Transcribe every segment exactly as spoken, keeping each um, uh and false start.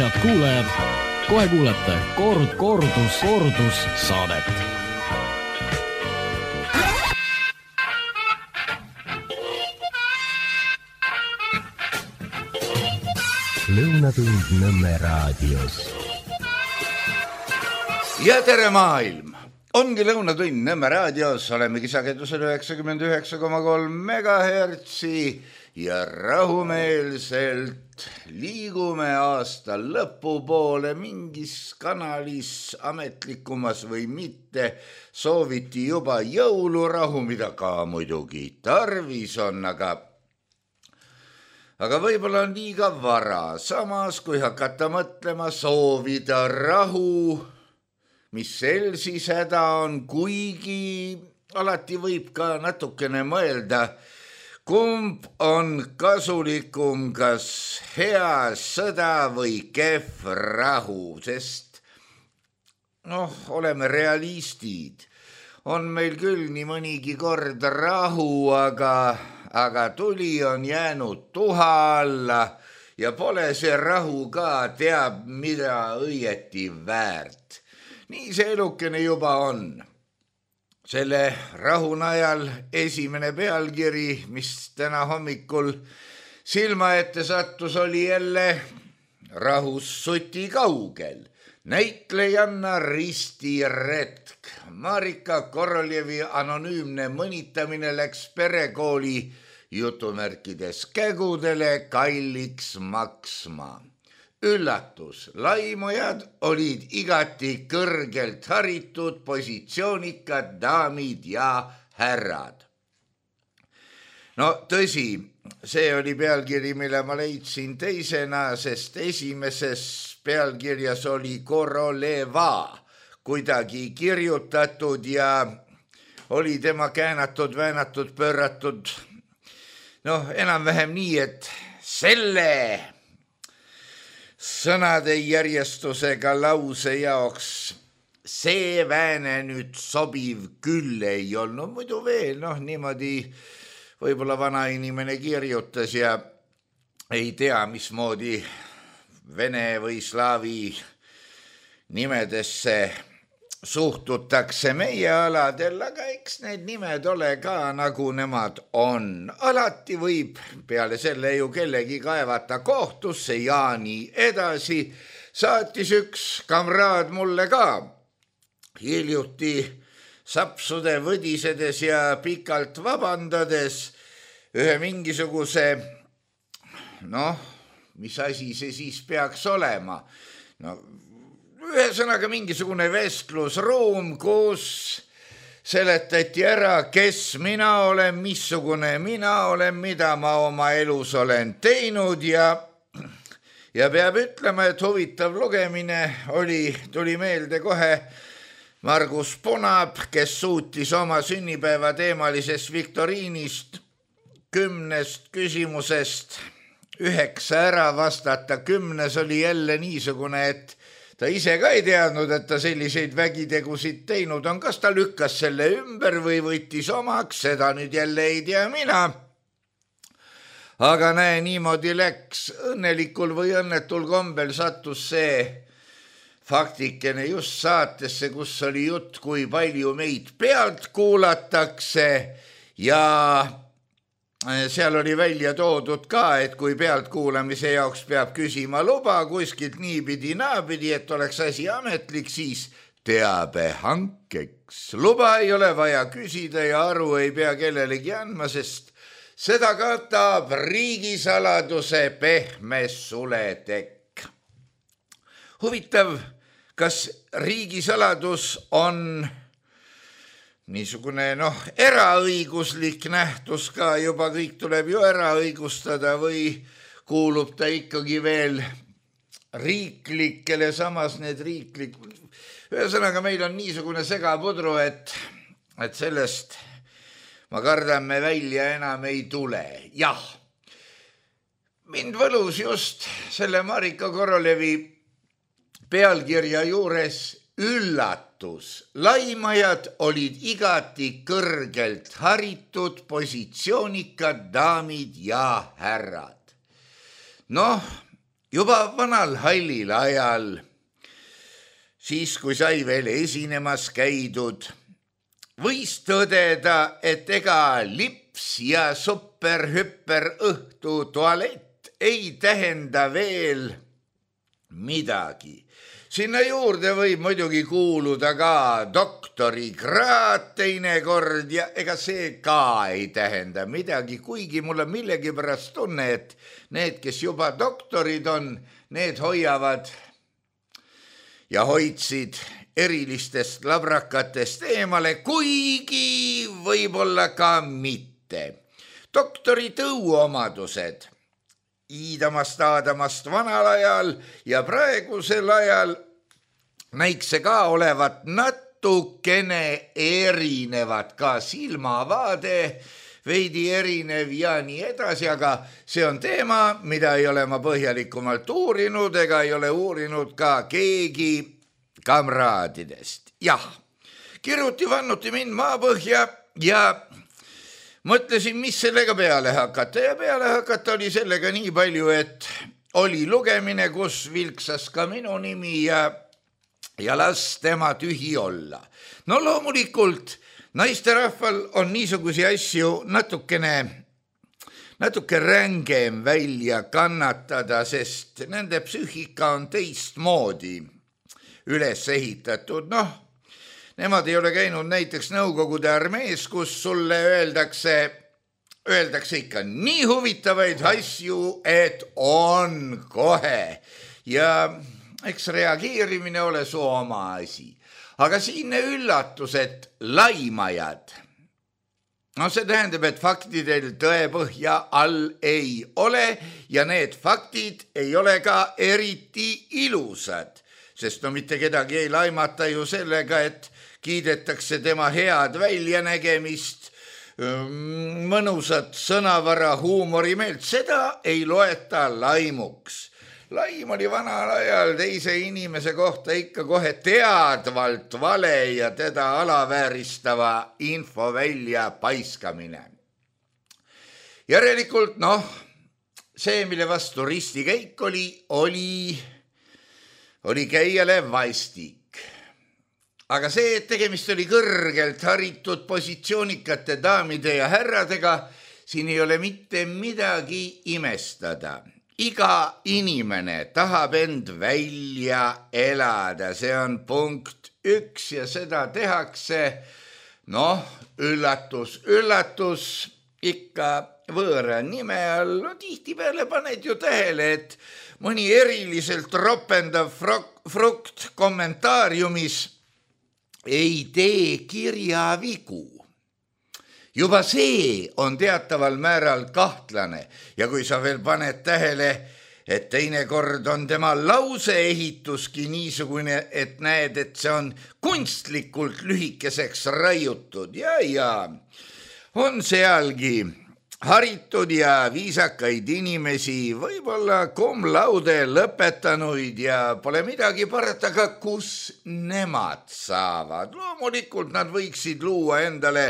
Head kuulajad, kohe kuulete kord, kordus, kordus saadet. Lõunatund Nõmme raadios. Ja tere maailm! Ongi Lõunatund Nõmme raadios, olemegi sagedusel üheksakümmend üheksa koma kolm megahertsi ja rahumeelselt liigume aasta lõpupoole mingis kanalis ametlikumas või mitte. Sooviti juba jõulurahu, mida ka muidugi tarvis on, aga aga võib-olla on liiga vara. Samas, kui hakata mõtlema soovida rahu, mis sel siis häda on, kuigi alati võib ka natukene mõelda, kumb on kasulikum, kas hea sõda või kehv rahu, sest noh, oleme realistid. On meil küll nii mõnigi kord rahu, aga, aga tuli on jäänud tuha alla ja pole see rahu ka teab, mida õieti väärt. Nii see elukene juba on. Selle rahu najal esimene pealkiri, mis täna hommikul silma ette sattus, oli jälle rahus suti kaugel. Näitlejanna Risti Retk. Marika Koroljevi anonüümne mõnitamine läks perekooli jutumärkides kägudele kalliks maksma. Üllatus, laimujad olid igati kõrgelt haritud positsioonikad daamid ja härrad. No tõsi, see oli pealkiri, mille ma leidsin teisena, sest esimeses pealkirjas oli Koroleva kuidagi kirjutatud ja oli tema käänatud, väänatud, pööratud. Noh, enam-vähem nii, et selle sõnade järjestusega lause jaoks see vääne nüüd sobiv küll ei olnud. Muidu veel, noh, niimoodi võib-olla vana inimene kirjutas ja ei tea, mismoodi vene või slaavi nimedesse suhtutakse meie aladel, aga eks need nimed ole ka nagu nemad on. Alati võib peale selle ju kellegi kaevata kohtusse ja nii edasi. Saatis üks kamraad mulle ka hiljuti sapsude võdisedes ja pikalt vabandades ühe mingisuguse, noh, mis asi see siis peaks olema? No, ühesõnaga mingisugune vestlusruum, kus seletati ära, kes mina olen, missugune mina olen, mida ma oma elus olen teinud ja, ja peab ütlema, et huvitav lugemine oli, tuli meelde kohe Margus Punab, kes suutis oma sünnipäeva teemalisest viktoriinist kümnest küsimusest üheksa ära vastata. Kümnes oli jälle niisugune, et ta ise ka ei teadnud, et ta selliseid vägitegusid teinud on. Kas ta lükkas selle ümber või võttis omaks, seda nüüd jälle ei tea mina. Aga näe, niimoodi läks. Õnnelikul või õnnetul kombel sattus see faktikene just saatesse, kus oli jutt, kui palju meid pealt kuulatakse ja seal oli välja toodud ka, et kui pealtkuulamise jaoks peab küsima luba kuskilt niipidi naapidi, et oleks asi ametlik, siis teabe hankeks. Luba ei ole vaja küsida ja aru ei pea kellelegi andma, sest seda katab riigisaladuse pehme suletekk. Huvitav, kas riigisaladus on niisugune, noh, eraõiguslik nähtus ka, juba kõik tuleb ju eraõigustada või kuulub ta ikkagi veel riiklikele, samas need riiklik. Ühesõnaga meil on niisugune segapudru, et, et sellest ma kardan me välja enam ei tule. Jah, mind võlus just selle Marika Koroljevi pealkirja juures üllatus. Laimajad olid igati kõrgelt haritud positsioonikad daamid ja härrad. Noh, juba vanal hallil ajal, siis kui sai veel esinemas käidud, võis tõdeda, et ega lips ja super-hüper õhtu tualett ei tähenda veel midagi. Sinna juurde võib muidugi kuuluda ka doktorikraad teinekord ja ega see ka ei tähenda midagi, kuigi mul on millegipärast tunne, et need, kes juba doktorid on, need hoiavad ja hoidsid erilistest labrakatest eemale, kuigi võib-olla ka mitte. Doktori tõuomadused iidamast aadamast vanal ajal ja praegusel ajal näiks see ka olevat natukene erinevad, ka silmavaade veidi erinev ja nii edasi, aga see on teema, mida ei ole ma põhjalikumalt uurinud ega ei ole uurinud ka keegi kamraadidest. Jah, kiruti vannuti mind maapõhja ja mõtlesin, mis sellega peale hakata ja peale hakata oli sellega nii palju, et oli lugemine, kus vilksas ka minu nimi ja, ja las tema tühi olla. No loomulikult naisterahval on niisugusi asju natukene, natuke rängem välja kannatada, sest nende psüühika on teistmoodi üles ehitatud. Noh, nemad ei ole käinud näiteks Nõukogude armees, kus sulle öeldakse, öeldakse ikka nii huvitavaid asju, et on kohe. Ja eks reageerimine ole su oma asi. Aga siinne üllatus, et laimajad, no see tähendab, et faktidel tõepõhja all ei ole ja need faktid ei ole ka eriti ilusad. Sest no mitte kedagi ei laimata ju sellega, et kiidetakse tema head väljanägemist, mõnusat sõnavara, huumorimeelt. Seda ei loeta laimuks. Laim oli vanal ajal teise inimese kohta ikka kohe teadvalt vale ja teda alavääristava info välja paiskamine. Järelikult, noh, see, mille vastu ristikäik oli, oli... oli käijale vastik. Aga see, et tegemist oli kõrgelt haritud positsioonikate daamide ja härradega, siin ei ole mitte midagi imestada. Iga inimene tahab end välja elada, see on punkt üks ja seda tehakse, noh, üllatus, üllatus ikka võõra nime all. No, tihtipeale paned ju tähele, et mõni eriliselt ropendav frukt kommentaariumis ei tee kirjavigu. Juba see on teataval määral kahtlane ja kui sa veel paned tähele, et teinekord on tema lauseehituski niisugune, et näed, et see on kunstlikult lühikeseks raiutud ja, ja on sealgi haritud ja viisakaid inimesi, võib-olla cum laude lõpetanuid ja pole midagi parata, aga kus nemad saavad. Loomulikult nad võiksid luua endale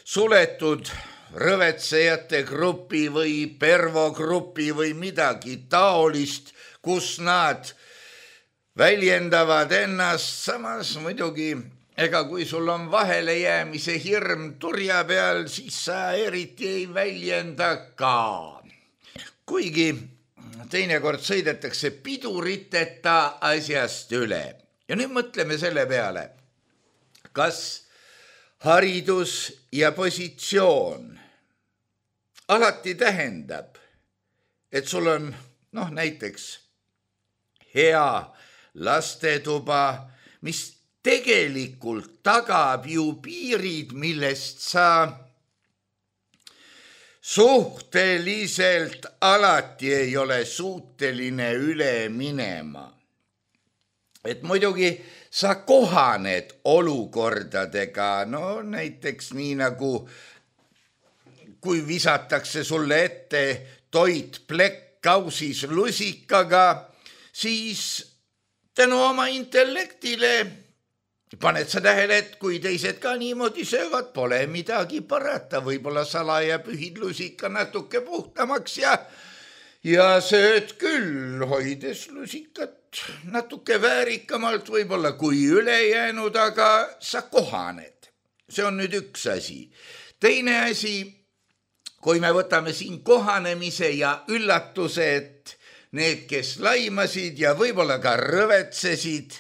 suletud rõvetsejate grupi või pervogrupi või midagi taolist, kus nad väljendavad ennast. Samas muidugi, ega kui sul on vahele jäämise hirm turja peal, siis sa eriti ei väljenda ka. Kuigi teinekord sõidetakse piduriteta asjast üle. Ja nüüd mõtleme selle peale, kas haridus ja positsioon alati tähendab, et sul on, noh, näiteks hea lastetuba, mis tegelikult tagab ju piirid, millest sa suhteliselt alati ei ole suuteline üle minema. Et muidugi sa kohaned olukordadega, no näiteks nii nagu kui visatakse sulle ette toit plekk kausis lusikaga, siis tänu oma intellektile paned sa tähele, et kui teised ka niimoodi söövad, pole midagi parata, võib-olla salaja pühid lusika natuke puhtamaks ja ja sööd küll, hoides lusikat natuke väärikamalt võib-olla kui ülejäänud, aga sa kohaned. See on nüüd üks asi. Teine asi, kui me võtame siin kohanemise ja üllatuse, et need, kes laimasid ja võib-olla ka rõvetsesid,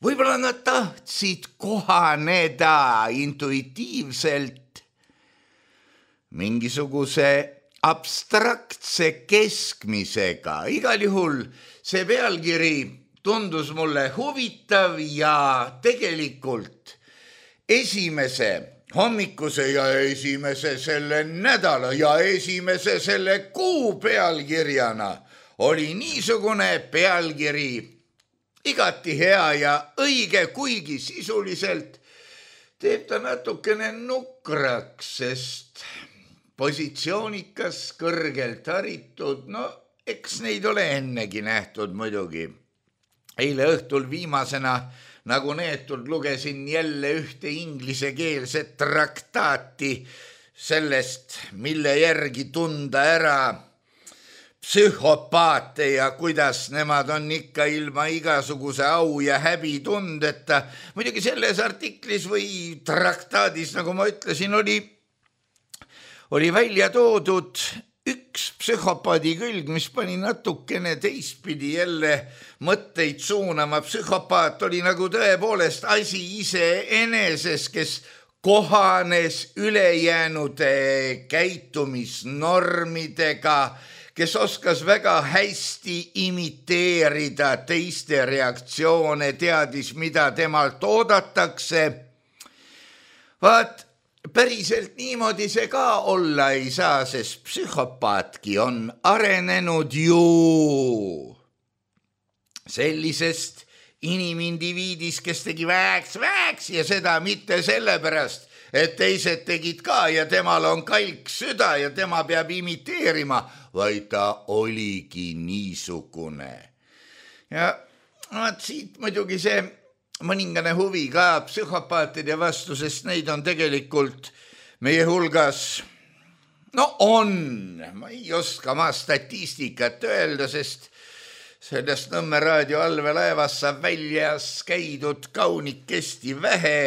võib-olla nad tahtsid kohaneda intuitiivselt mingisuguse abstraktse keskmisega. Igal juhul see pealkiri tundus mulle huvitav ja tegelikult esimese hommikuse ja esimese selle nädala ja esimese selle kuu pealkirjana oli niisugune pealkiri igati hea ja õige, kuigi sisuliselt teeb ta natukene nukraks, sest positsioonikas, kõrgelt haritud, no eks neid ole ennegi nähtud muidugi. Eile õhtul viimasena nagu neetud lugesin jälle ühte inglisekeelset traktaati sellest, mille järgi tunda ära psühhopaate ja kuidas nemad on ikka ilma igasuguse au ja häbi tundeta. Muidugi selles artiklis või traktaadis, nagu ma ütlesin, oli oli välja toodud üks psühhopaadi külg, mis pani natukene teistpidi jälle mõtteid suunama. Psühhopaat oli nagu tõepoolest asi iseeneses, kes kohanes ülejäänude käitumisnormidega, kes oskas väga hästi imiteerida teiste reaktsioone, teadis, mida temalt oodatakse. Vaat, päriselt niimoodi see ka olla ei saa, sest psühhopaatki on arenenud ju sellisest inimindiviidis, kes tegi vääks, vääks ja seda mitte sellepärast, et teised tegid ka ja temal on kalk süda ja tema peab imiteerima, vaid ta oligi niisugune. Ja vaat siit muidugi see mõningane huvi ka psühhopaatide vastu, sest neid on tegelikult meie hulgas, no on, ma ei oska ma statistikat öelda, sest sellest Nõmme raadio allveelaevas saab väljas käidud kaunikesti vähe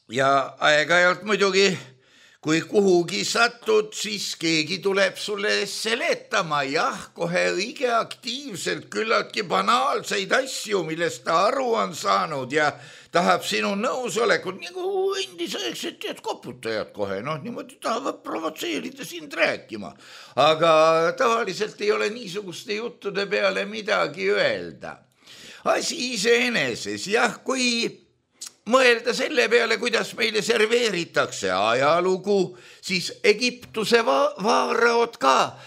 ja aeg-ajalt muidugi, kui kuhugi satud, siis keegi tuleb sulle seletama, jah, kohe õige aktiivselt, küllaltki banaalseid asju, millest ta aru on saanud ja tahab sinu nõusolekut, nagu endisaegsed tead koputajad kohe, noh, niimoodi tahavad provotseerida sind rääkima. Aga tavaliselt ei ole niisuguste juttude peale midagi öelda. Asi iseeneses, jah, kui mõelda selle peale, kuidas meile serveeritakse ajalugu, siis Egiptuse va- vaaraod ka,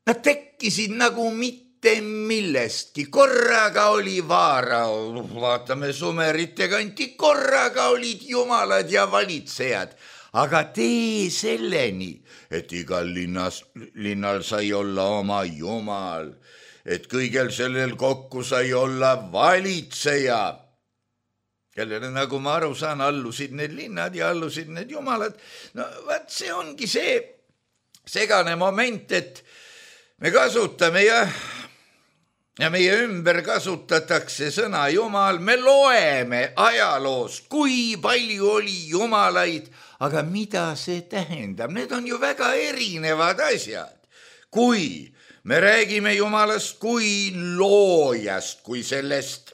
nad tekkisid nagu mitte millestki. Korraga oli vaarao, vaatame Sumerite kanti, korraga olid jumalad ja valitsejad. Aga tee selleni, et igal linnas, linnal sai olla oma jumal, et kõigel sellel kokku sai olla valitseja, kellele, nagu ma aru saan, allusid need linnad ja allusid need jumalad. No vaat see ongi see segane moment, et me kasutame ja, ja meie ümber kasutatakse sõna jumal, me loeme ajaloost, kui palju oli jumalaid, aga mida see tähendab? Need on ju väga erinevad asjad. Kui me räägime jumalast kui loojast, kui sellest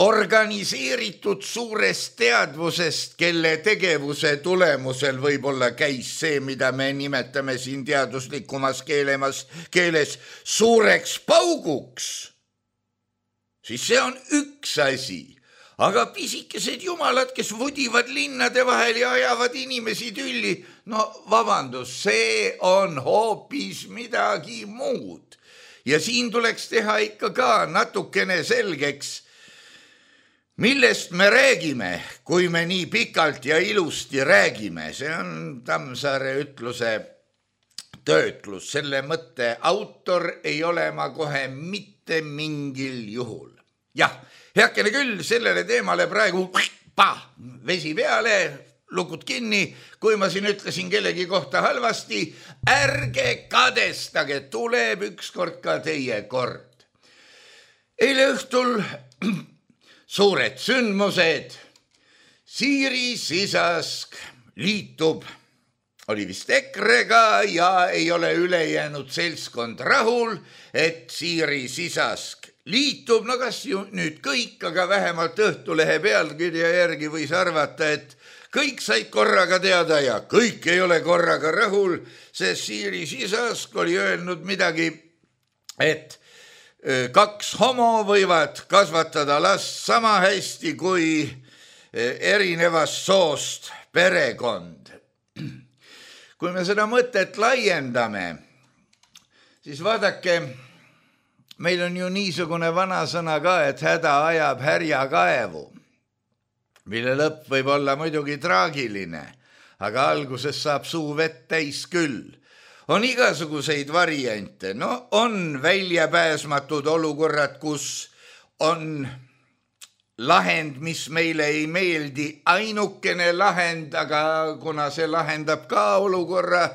organiseeritud suurest teadvusest, kelle tegevuse tulemusel võib-olla käis see, mida me nimetame siin teaduslikumas keelemas, keeles suureks pauguks, siis see on üks asi. Aga pisikesed jumalad, kes vudivad linnade vahel ja ajavad inimesi tülli, no vabandus, see on hoopis midagi muud. Ja siin tuleks teha ikka ka natukene selgeks, millest me räägime, kui me nii pikalt ja ilusti räägime. See on Tammsaare ütluse töötlus. Selle mõtte autor ei ole ma kohe mitte mingil juhul. Jah, heakene küll, sellele teemale praegu pa, vesi peale, lukud kinni, kui ma siin ütlesin kellegi kohta halvasti, ärge kadestage, tuleb ükskord ka teie kord. Eile õhtul suured sündmused, Siiri Sisask liitub, oli vist EKRE-ga ja ei ole ülejäänud seltskond rahul, et Siiri Sisask liitub, no kas ju nüüd kõik, aga vähemalt Õhtulehe pealkirja järgi võis arvata, et kõik said korraga teada ja kõik ei ole korraga rahul, sest Siiri Sisask oli öelnud midagi, et kaks homo võivad kasvatada last sama hästi kui erinevast soost perekond. Kui me seda mõtet laiendame, siis vaadake, meil on ju niisugune vanasõna ka, et häda ajab härja kaevu, mille lõpp võib olla muidugi traagiline, aga alguses saab suu vett täis küll. On igasuguseid variante, no on väljapääsmatud olukorrad, kus on lahend, mis meile ei meeldi, ainukene lahend, aga kuna see lahendab ka olukorra,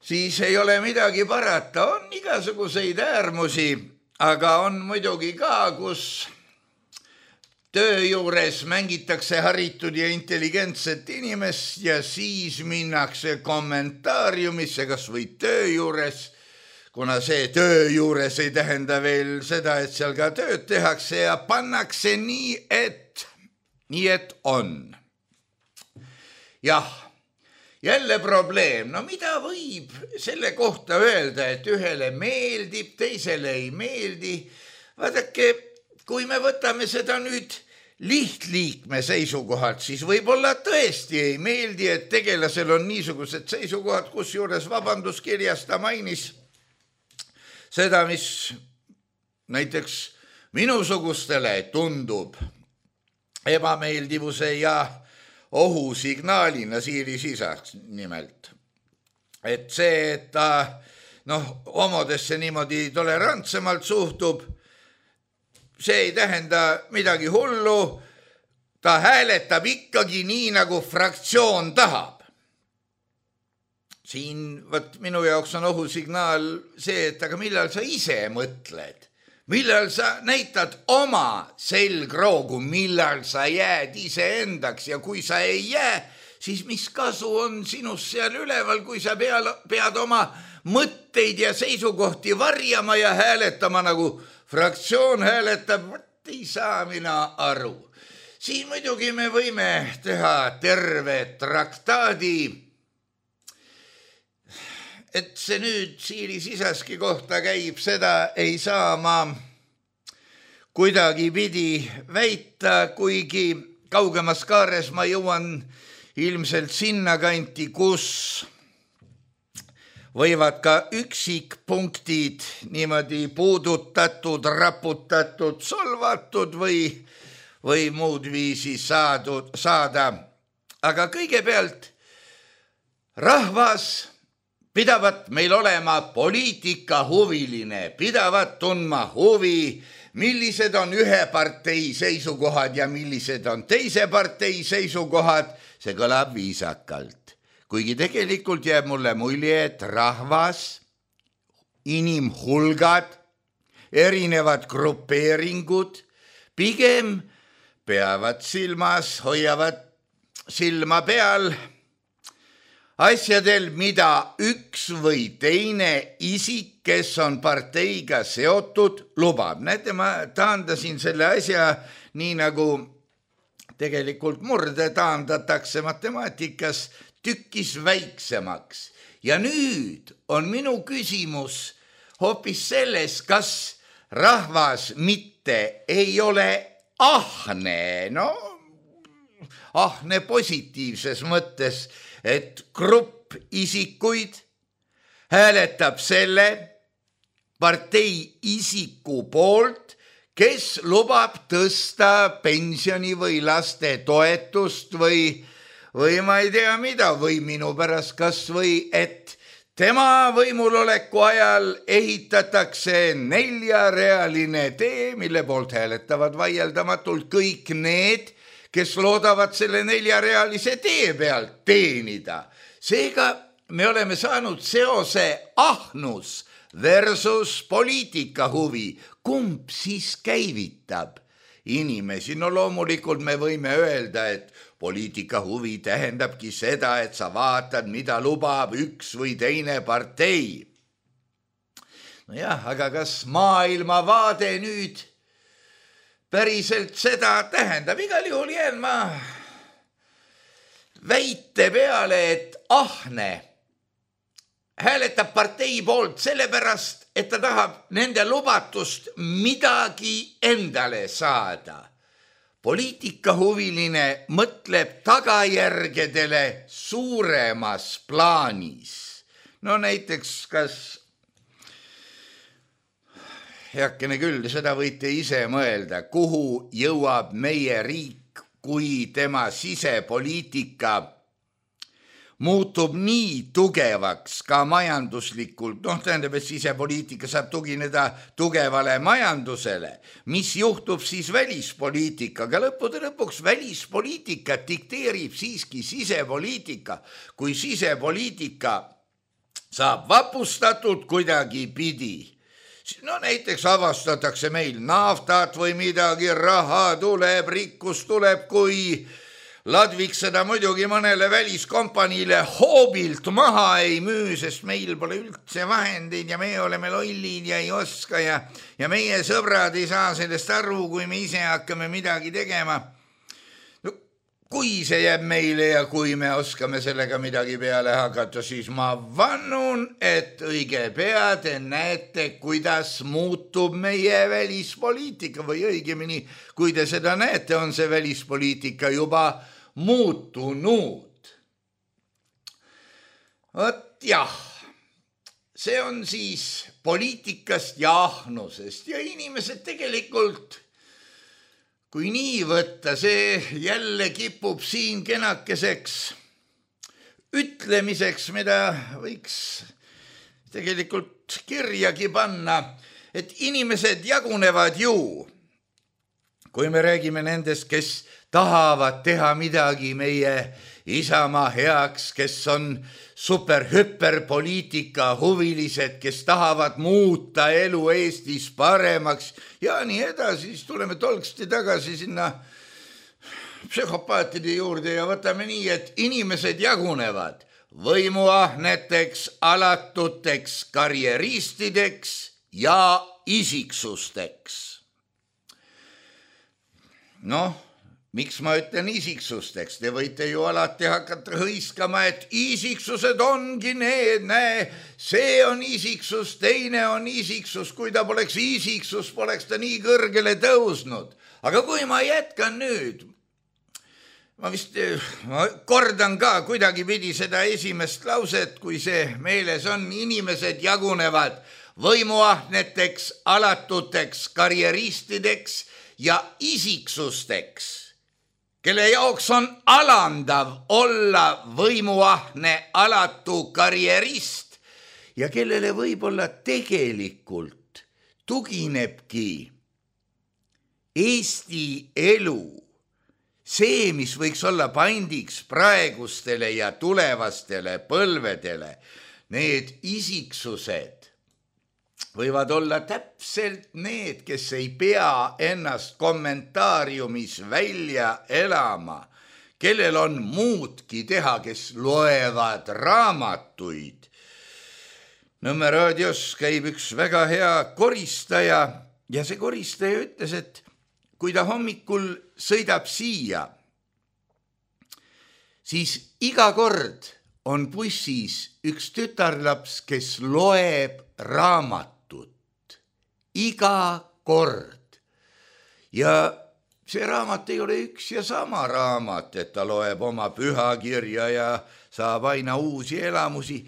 siis ei ole midagi parata. On igasuguseid äärmusi, aga on muidugi ka, kus töö juures mängitakse haritud ja intelligentset inimest ja siis minnakse kommentaariumisse, kas või töö juures, kuna see töö juures ei tähenda veel seda, et seal ka tööd tehakse ja pannakse nii, et, nii et on. Jah, jälle probleem. No mida võib selle kohta öelda, et ühele meeldib, teisele ei meeldi? Vaadake, kui me võtame seda nüüd lihtliikme seisukohalt, siis võib-olla tõesti ei meeldi, et tegelasel on niisugused seisukohad, kus juures vabanduskirjas ta mainis seda, mis näiteks minusugustele tundub ebameeldivuse ja ohusignaalina Siiri Sisask nimelt. Et see, et ta noh, homodesse niimoodi tolerantsemalt suhtub, see ei tähenda midagi hullu, ta hääletab ikkagi nii, nagu fraktsioon tahab. Siin võt, minu jaoks on ohusignaal see, et aga millal sa ise mõtled, millal sa näitad oma selgroogu, millal sa jääd iseendaks ja kui sa ei jää, siis mis kasu on sinust seal üleval, kui sa peal, pead oma mõtteid ja seisukohti varjama ja hääletama nagu fraktsioon hääletab, võt ei saa mina aru. Siin muidugi me võime teha terve traktaadi, et see nüüd Siiri Sisaski kohta käib, seda ei saa ma kuidagi pidi väita, kuigi kaugemas kaares ma jõuan ilmselt sinna kanti, kus võivad ka üksikpunktid niimoodi puudutatud, raputatud, solvatud või, või muud viisi saadud, saada. Aga kõigepealt rahvas pidavat meil olema poliitikahuviline, pidavat tundma huvi, millised on ühe partei seisukohad ja millised on teise partei seisukohad, see kõlab viisakalt. Kuigi tegelikult jääb mulle mulje, et rahvas, inimhulgad, erinevad grupeeringud pigem peavad silmas, hoiavad silma peal asjadel, mida üks või teine isik, kes on parteiga seotud, lubab. Näete, ma taandasin selle asja nii nagu tegelikult murde taandatakse matemaatikas tükis väiksemaks. Ja nüüd on minu küsimus hoopis selles, kas rahvas mitte ei ole ahne, no ahne positiivses mõttes, et grupp isikuid hääletab selle partei isiku poolt, kes lubab tõsta pensioni või laste toetust või, või ma ei tea mida, või minu pärast kas või, et tema võimuloleku ajal ehitatakse neljarealine tee, mille poolt hääletavad vaieldamatult kõik need, kes loodavad selle neljarealise tee pealt teenida. Seega me oleme saanud seose ahnus versus poliitika huvi. Kumb siis käivitab inimesi? No loomulikult me võime öelda, et poliitika huvi tähendabki seda, et sa vaatad, mida lubab üks või teine partei. No jah, aga kas maailmavaade nüüd päriselt seda tähendab? Igal juhul jään ma väite peale, et ahne hääletab partei poolt sellepärast, et ta tahab nende lubatust midagi endale saada. Poliitikahuviline mõtleb tagajärgedele suuremas plaanis. No näiteks, kas, heakene küll, seda võite ise mõelda, kuhu jõuab meie riik, kui tema sisepoliitika muutub nii tugevaks ka majanduslikult. Noh, tähendab, et sisepoliitika saab tugineda tugevale majandusele. Mis juhtub siis välispoliitikaga? Lõppude lõpuks välispoliitika dikteerib siiski sisepoliitika. Kui sisepoliitika saab vapustatud kuidagi pidi, no näiteks avastatakse meil naftat või midagi, raha tuleb, rikkus tuleb, kui Ladviks seda muidugi mõnele väliskompaniile hoobilt maha ei müü, sest meil pole üldse vahendeid ja me oleme lollid ja ei oska ja, ja meie sõbrad ei saa sellest aru, kui me ise hakkame midagi tegema. No, kui see jääb meile ja kui me oskame sellega midagi peale hakata, siis ma vannun, et õige pea te näete, kuidas muutub meie välispoliitika või õigemini, kui te seda näete, on see välispoliitika juba muutunud. Vot jah, see on siis poliitikast ja ahnusest ja inimesed tegelikult, kui nii võtta, see jälle kipub siin kenakeseks ütlemiseks, mida võiks tegelikult kirjagi panna, et inimesed jagunevad ju, kui me räägime nendest, kes tahavad teha midagi meie Isamaa heaks, kes on super-hüperpoliitika huvilised, kes tahavad muuta elu Eestis paremaks ja nii edasi, siis tuleme tolksti tagasi sinna psühhopaatide juurde ja võtame nii, et inimesed jagunevad võimuahneteks, alatuteks, karjeristideks ja isiksusteks. Noh, miks ma ütlen isiksusteks? Te võite ju alati hakata hõiskama, et isiksused ongi need, näe, see on isiksus, teine on isiksus, kui ta poleks isiksus, poleks ta nii kõrgele tõusnud. Aga kui ma jätkan nüüd, ma vist ma kordan ka kuidagi pidi seda esimest lauset, kui see meeles on, inimesed jagunevad võimuahneteks, alatuteks, karjeristideks ja isiksusteks, kelle jaoks on alandav olla võimuahne, alatu karjerist ja kellele võib-olla tegelikult tuginebki Eesti elu, see, mis võiks olla pandiks praegustele ja tulevastele põlvedele, need isiksused võivad olla täpselt need, kes ei pea ennast kommentaariumis välja elama, kellel on muudki teha, kes loevad raamatuid. Nõmme raadios käib üks väga hea koristaja ja see koristaja ütles, et kui ta hommikul sõidab siia, siis iga kord on bussis üks tütarlaps, kes loeb raamatut. Iga kord. Ja see raamat ei ole üks ja sama raamat, et ta loeb oma pühakirja ja saab aina uusi elamusi.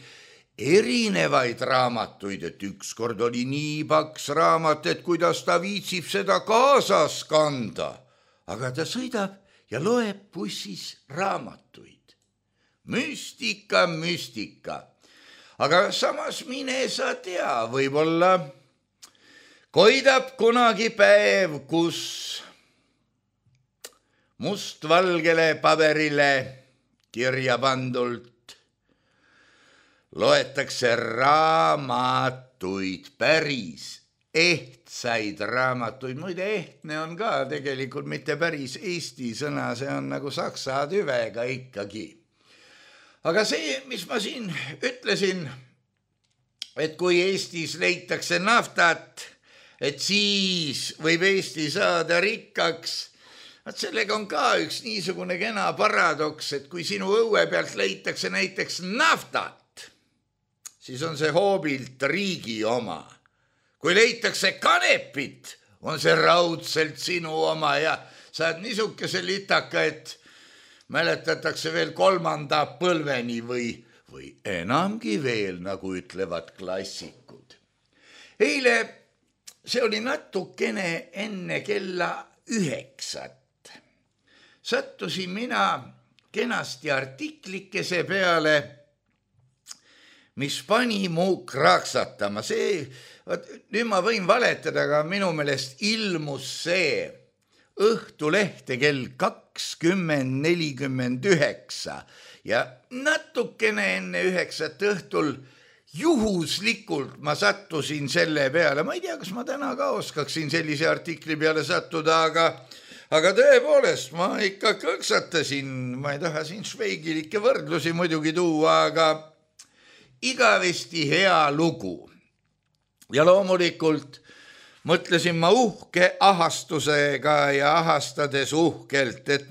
Erinevaid raamatuid, et ükskord oli nii paks raamat, et kuidas ta viitsib seda kaasas kanda. Aga ta sõidab ja loeb bussis raamatuid. Müstika, müstika. Aga samas mine sa tea, võib-olla koidab kunagi päev, kus mustvalgele paberile kirja pandult. Loetakse raamatuid, päris ehtsaid raamatuid. Muide, ehtne on ka tegelikult mitte päris eesti sõna, see on nagu saksa tüvega ikkagi. Aga see, mis ma siin ütlesin, et kui Eestis leitakse naftat, et siis võib Eesti saada rikkaks, et sellega on ka üks niisugune kena paradoks, et kui sinu õue pealt leitakse näiteks naftat, siis on see hoobilt riigi oma. Kui leitakse kanepit, on see raudselt sinu oma ja saad niisuguse litaka, et mäletatakse veel kolmanda põlveni või, või enamgi veel, nagu ütlevad klassikud. Eile see oli natukene enne kella üheksat. Sattusin mina kenasti artiklikese peale, mis pani mu kraksatama. See, nüüd ma võin valetada, aga minu meelest ilmus see Õhtulehte kell kakskümmend nelikümmend üheksa ja natukene enne üheksat õhtul juhuslikult ma sattusin selle peale. Ma ei tea, kas ma täna ka oskaksin sellise artikli peale sattuda, aga, aga tõepoolest ma ikka kõksatasin. Ma ei taha siin šveigilikke võrdlusi muidugi tuua, aga igavesti hea lugu. Ja loomulikult mõtlesin ma uhke ahastusega ja ahastades uhkelt, et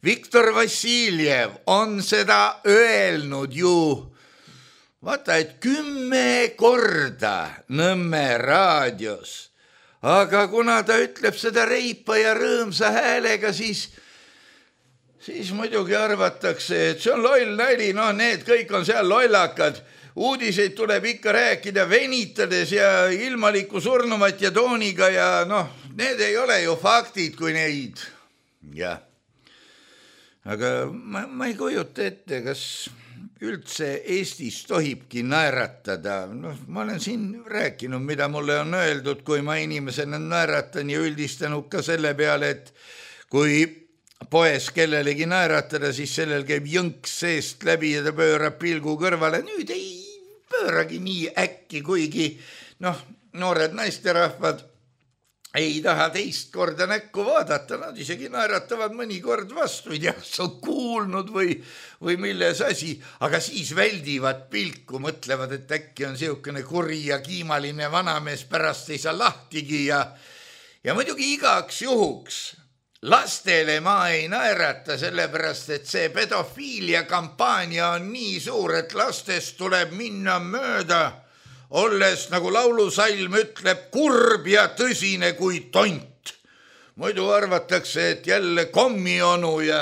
Viktor Vassiljev on seda öelnud ju, vaata, et kümme korda Nõmme raadios, aga kuna ta ütleb seda reipa ja rõõmsa häälega, siis, siis muidugi arvatakse, et see on loll nali, noh, need kõik on seal lollakad. Uudiseid tuleb ikka rääkida venitades ja ilmaliku surnumat ja tooniga ja noh, need ei ole ju faktid, kui neid. Jah. Aga ma, ma ei kujuta ette, kas üldse Eestis tohibki naeratada. No, ma olen siin rääkinud, mida mulle on öeldud, kui ma inimesena naeratan ja üldistanud ka selle peale, et kui poes kellelegi naeratada, siis sellel käib jõnks seest läbi ja ta pöörab pilgu kõrvale. Nüüd ei pööragi nii äkki, kuigi noh, noored naisterahvad ei taha teist korda näkku vaadata, nad isegi naeratavad mõnikord vastu, ei tea, sa on kuulnud või, või milles asi, aga siis väldivad pilku, mõtlevad, et äkki on siukene kuri ja kiimaline vanamees, pärast ei saa lahtigi ja, ja muidugi igaks juhuks lastele ma ei naerata, sellepärast, et see pedofiilia kampaania on nii suur, et lastest tuleb minna mööda, olles, nagu laulusalm ütleb, kurb ja tõsine kui tont. Muidu arvatakse, et jälle kommionu ja,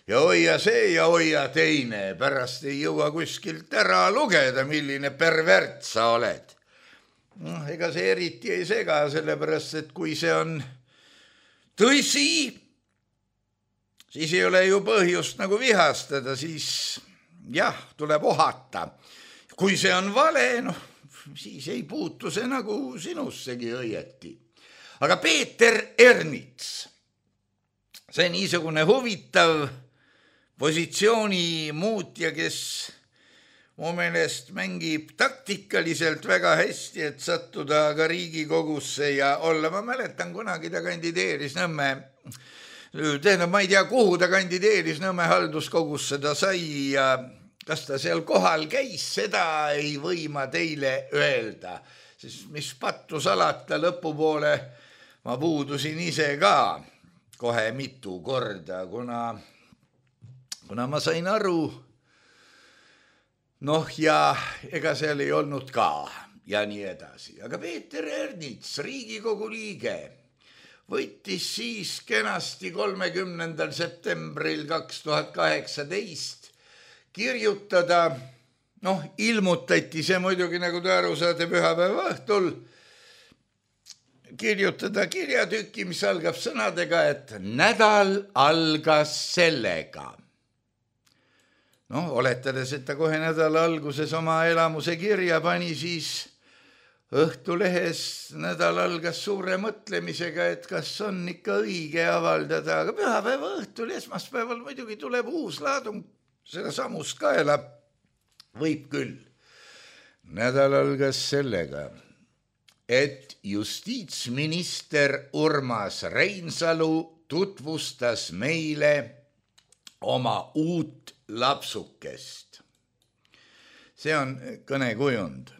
ja hoia see ja hoia teine. Pärast ei jõua kuskilt ära lugeda, milline pervert sa oled. No, ega see eriti ei sega, sellepärast, et kui see on tõsi, siis ei ole ju põhjust nagu vihastada, siis jah, tuleb ohata. Kui see on vale, noh, siis ei puutu see nagu sinussegi õieti. Aga Peeter Ernits, see niisugune huvitav positsiooni muutja, kes mu meelest mängib taktikaliselt väga hästi, et sattuda ka Riigikogusse ja olla. Ma mäletan, kunagi ta kandideeris Nõmme, tähendab, ma ei tea, kuhu ta kandideeris, Nõmme halduskogusse ta sai ja kas ta seal kohal käis, seda ei või ma teile öelda. Siis mis pattu salata, lõpupoole ma puudusin ise ka kohe mitu korda, kuna, kuna ma sain aru, noh ja ega seal ei olnud ka ja nii edasi. Aga Peeter Ernits, Riigikogu liige, võttis siis kenasti kolmekümnendal septembril kaks tuhat kaheksateist kirjutada, noh, ilmutati see muidugi, nagu te aru saate, pühapäeva õhtul, kirjutada kirjatükki, mis algab sõnadega, et nädal algas sellega. Noh, oletades, et ta kohe nädala alguses oma elamuse kirja pani, siis Õhtulehes nädal algas suure mõtlemisega, et kas on ikka õige avaldada, aga pühapäeva õhtul, esmaspäeval muidugi tuleb uus laadung seda samust kaela. Võib küll. Nädal algas sellega, et justiitsminister Urmas Reinsalu tutvustas meile oma uut lapsukest. See on kõnekujund.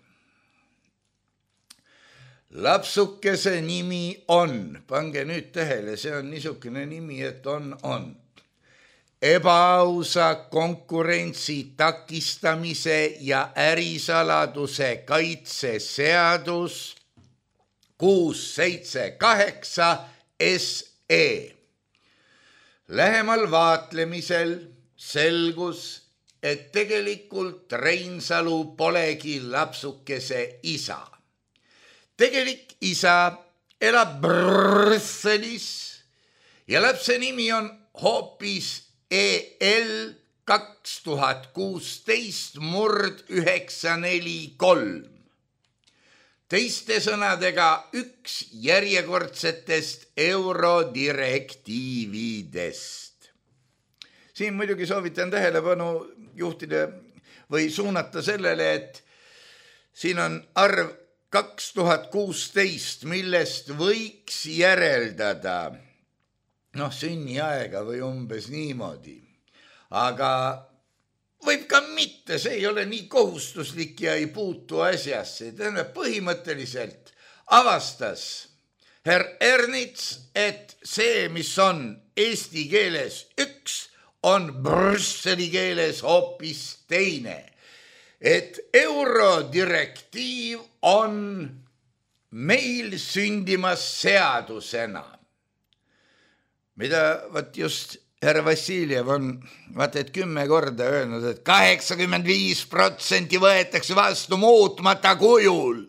Lapsukese nimi on, pange nüüd tähele, see on niisugune nimi, et on, on. Ebaausa konkurentsi takistamise ja ärisaladuse kaitse seadus kuus seitse kaheksa S E. Lähemal vaatlemisel selgus, et tegelikult Reinsalu polegi lapsukese isa. Tegelik isa elab Brüsselis ja lapse nimi on hoopis E L kaks tuhat kuusteist murd üheksa neli kolm. Teiste sõnadega üks järjekordsetest eurodirektiividest. Siin muidugi soovitan tähelepanu juhtida või suunata sellele, et siin on arv kaks tuhat kuusteist, millest võiks järeldada, noh, sünniaega või umbes niimoodi. Aga võib ka mitte, see ei ole nii kohustuslik ja ei puutu asjasse. Tähendab, põhimõtteliselt avastas herr Ernits, et see, mis on eesti keeles üks, on Brüsseli keeles hoopis teine. Et eurodirektiiv on meil sündimas seadusena, mida võt just härra Vassiljev on vaat et kümme korda öelnud, et kaheksakümmend viis protsenti võetakse vastu muutmata kujul.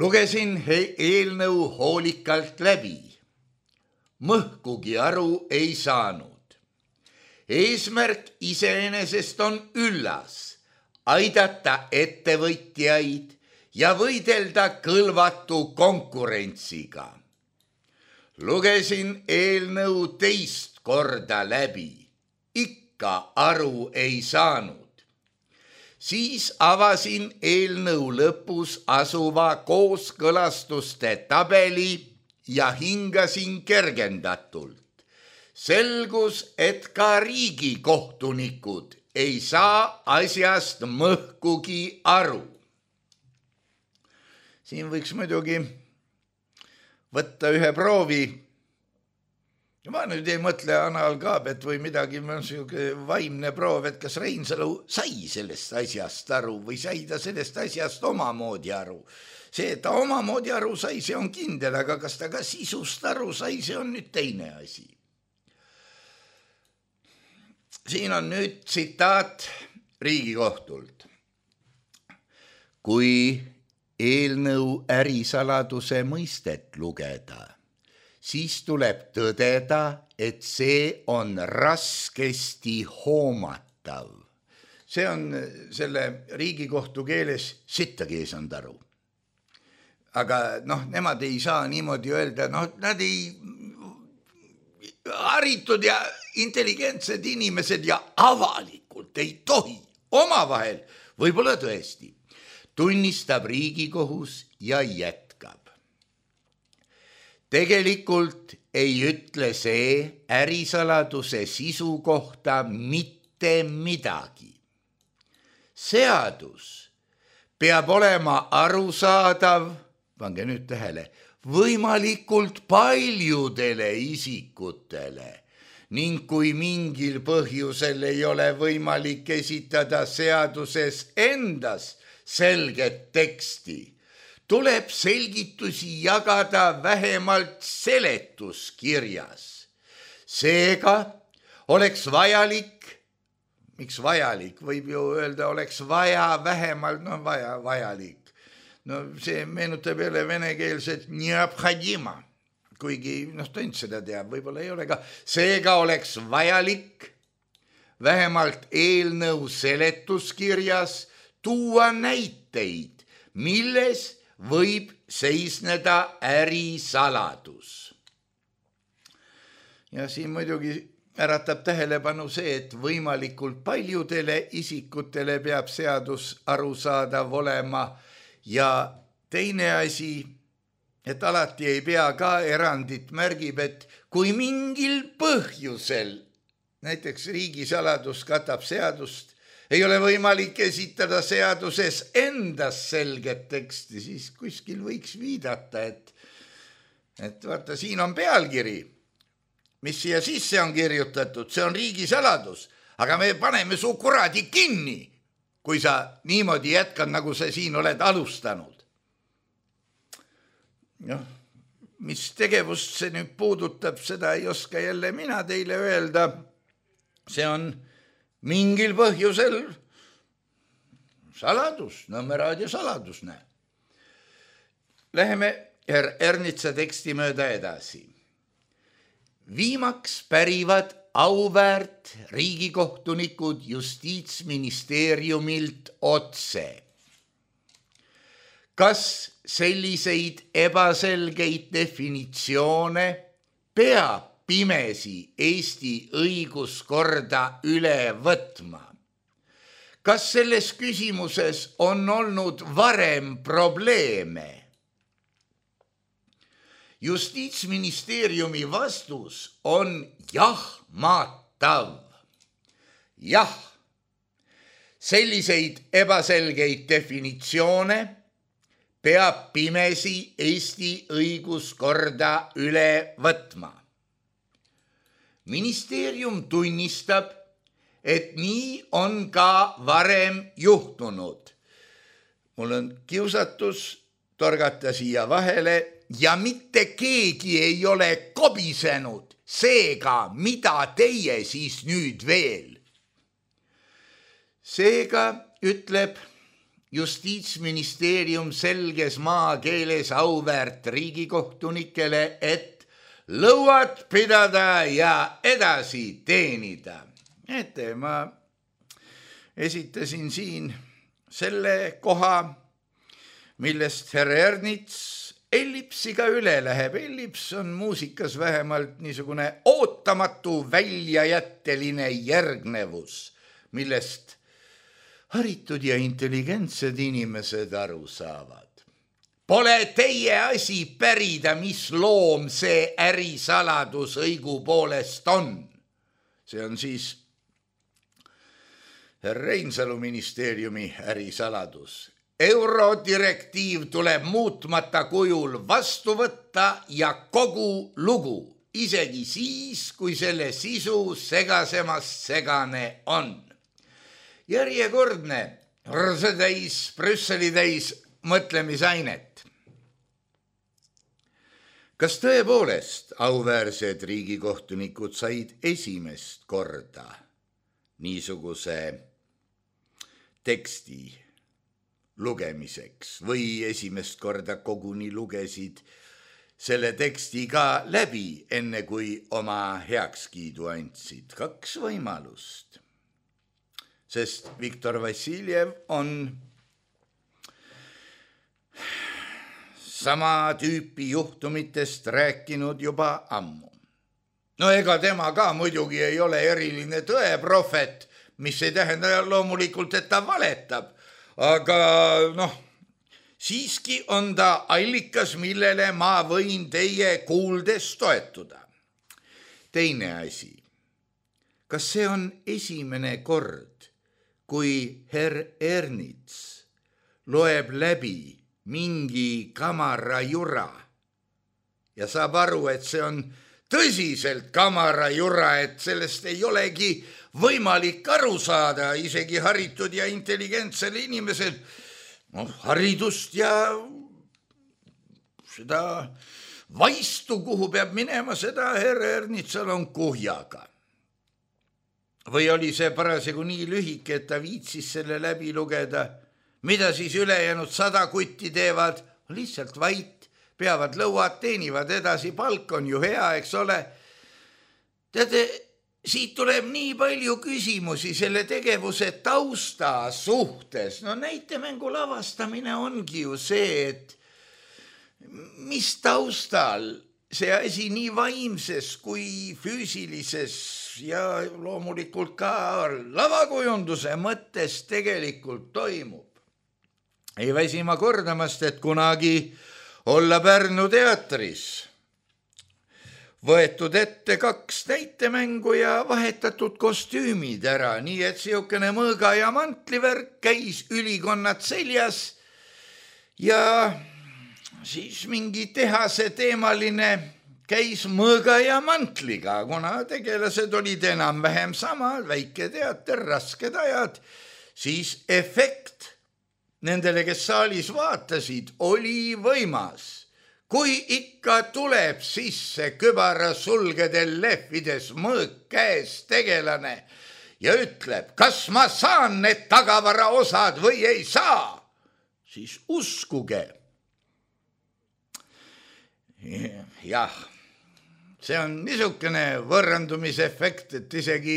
Lugesin eelnõu hoolikalt läbi. Mõhkugi aru ei saanud. Eesmärk iseenesest on üllas, aidata ettevõtjaid ja võidelda kõlvatu konkurentsiga. Lugesin eelnõu teist korda läbi, ikka aru ei saanud. Siis avasin eelnõu lõpus asuva kooskõlastuste tabeli ja hingasin kergendatult. Selgus, et ka riigikohtunikud ei saa asjast mõhkugi aru. Siin võiks muidugi võtta ühe proovi. Ma nüüd ei mõtle analkaabet või midagi, ma on selline vaimne proov, et kas Reinsalu sai sellest asjast aru või sai ta sellest asjast omamoodi aru. See, et ta omamoodi aru sai, see on kindel, aga kas ta ka sisust aru sai, see on nüüd teine asi. Siin on nüüd tsitaat Riigikohtult. Kui eelnõu ärisaladuse mõistet lugeda, siis tuleb tõdeda, et see on raskesti hoomatav. See on selle Riigikohtu keeles sittagi ei saanud aru. Aga noh, nemad ei saa niimoodi öelda, noh, nad ei haritud ja intelligentsed inimesed ja avalikult ei tohi omavahel, võib-olla tõesti, tunnistab Riigikohus ja jätkab. Tegelikult ei ütle see ärisaladuse sisu kohta mitte midagi. Seadus peab olema arusaadav, pange nüüd tähele, võimalikult paljudele isikutele ning kui mingil põhjusel ei ole võimalik esitada seaduses endas selget teksti, tuleb selgitusi jagada vähemalt seletuskirjas. Seega oleks vajalik, miks vajalik, võib ju öelda, oleks vaja vähemalt, no vaja, vajalik. No see meenutab jälle venekeelset neobhodima, kuigi noh, tont seda teab, võib-olla ei ole ka. Seega oleks vajalik vähemalt eelnõu seletuskirjas tuua näiteid, milles võib seisneda ärisaladus. Ja siin muidugi äratab tähelepanu see, et võimalikult paljudele isikutele peab seadus arusaadav olema ja teine asi, et alati ei pea ka erandit märgib, et kui mingil põhjusel, näiteks riigisaladus katab seadust, ei ole võimalik esitada seaduses endas selget teksti, siis kuskil võiks viidata, et, et vaata, siin on pealkiri, mis siia sisse on kirjutatud, see on riigisaladus, aga me paneme su kuradi kinni, kui sa niimoodi jätkad, nagu sa siin oled alustanud. Noh, mis tegevust see nüüd puudutab, seda ei oska jälle mina teile öelda. See on mingil põhjusel saladus, Nõmme raadio saladus, näe. Läheme er Ernitsa teksti mööda edasi. Viimaks pärivad auväärt riigikohtunikud Justiitsministeeriumilt otse. Kas selliseid ebaselgeid definitsioone peab pimesi Eesti õiguskorda üle võtma? Kas selles küsimuses on olnud varem probleeme? Justiitsministeeriumi vastus on jahmatav. Jah, selliseid ebaselgeid definitsioone peab pimesi Eesti õiguskorda üle võtma. Ministeerium tunnistab, et nii on ka varem juhtunud. Mul on kiusatus torgata siia vahele ja mitte keegi ei ole kobisenud, seega mida teie siis nüüd veel? Seega ütleb Justiitsministeerium selges maakeeles auväärt riigikohtunikele, et lõuad pidada ja edasi teenida. Ette, ma esitasin siin selle koha, millest härra Ernits ellipsiga üle läheb. Ellips on muusikas vähemalt niisugune ootamatu väljajätteline järgnevus, millest haritud ja intelligentsed inimesed aru saavad. Pole teie asi pärida, mis loom see ärisaladus õigupoolest on. See on siis Reinsalu ministeeriumi ärisaladus. Eurodirektiiv tuleb muutmata kujul vastu võtta ja kogu lugu, isegi siis, kui selle sisu segasemast segane on. Järjekordne rõsetäis, Brüsseli täis mõtlemisainet. Kas tõepoolest auväärsed riigikohtunikud said esimest korda niisuguse teksti lugemiseks või esimest korda koguni lugesid selle teksti ka läbi, enne kui oma heakskiidu andsid? Kaks võimalust. Sest Viktor Vassiljev on sama tüüpi juhtumitest rääkinud juba ammu. No ega tema ka muidugi ei ole eriline tõeprofet, mis ei tähenda loomulikult, et ta valetab, aga noh, siiski on ta allikas, millele ma võin teie kuuldes toetuda. Teine asi, kas see on esimene kord, kui herr Ernits loeb läbi mingi kamara jura ja saab aru, et see on tõsiselt kamara jura, et sellest ei olegi võimalik aru saada isegi haritud ja intelligentsel inimesel. No, haridust ja seda vaistu, kuhu peab minema, seda herr Ernitsal on kuhjaga. Või oli see parasjagu nii lühike, et ta viitsis selle läbi lugeda, mida siis ülejäänud sada kutti teevad, lihtsalt vait, peavad lõuad, teenivad edasi, palk on ju hea, eks ole. Teate, siit tuleb nii palju küsimusi selle tegevuse tausta suhtes. No näitemängu lavastamine ongi ju see, et mis taustal see asi nii vaimses kui füüsilises ja loomulikult ka lavakujunduse mõttes tegelikult toimub. Ei väsi ma kordamast, et kunagi olla Pärnu teatris võetud ette kaks näitemängu ja vahetatud kostüümid ära, nii et siukene mõõga ja mantlivärk käis ülikonnad seljas ja siis mingi tehase teemaline käis mõõga ja mantliga, kuna tegelased olid enam-vähem samad, väike teater, rasked ajad, siis efekt nendele, kes saalis vaatasid, oli võimas. Kui ikka tuleb sisse kübara sulgedel lehvides mõõk käes tegelane ja ütleb, kas ma saan need tagavara osad või ei saa, siis uskuge. Jah, see on niisugune võrrandumisefekt, et isegi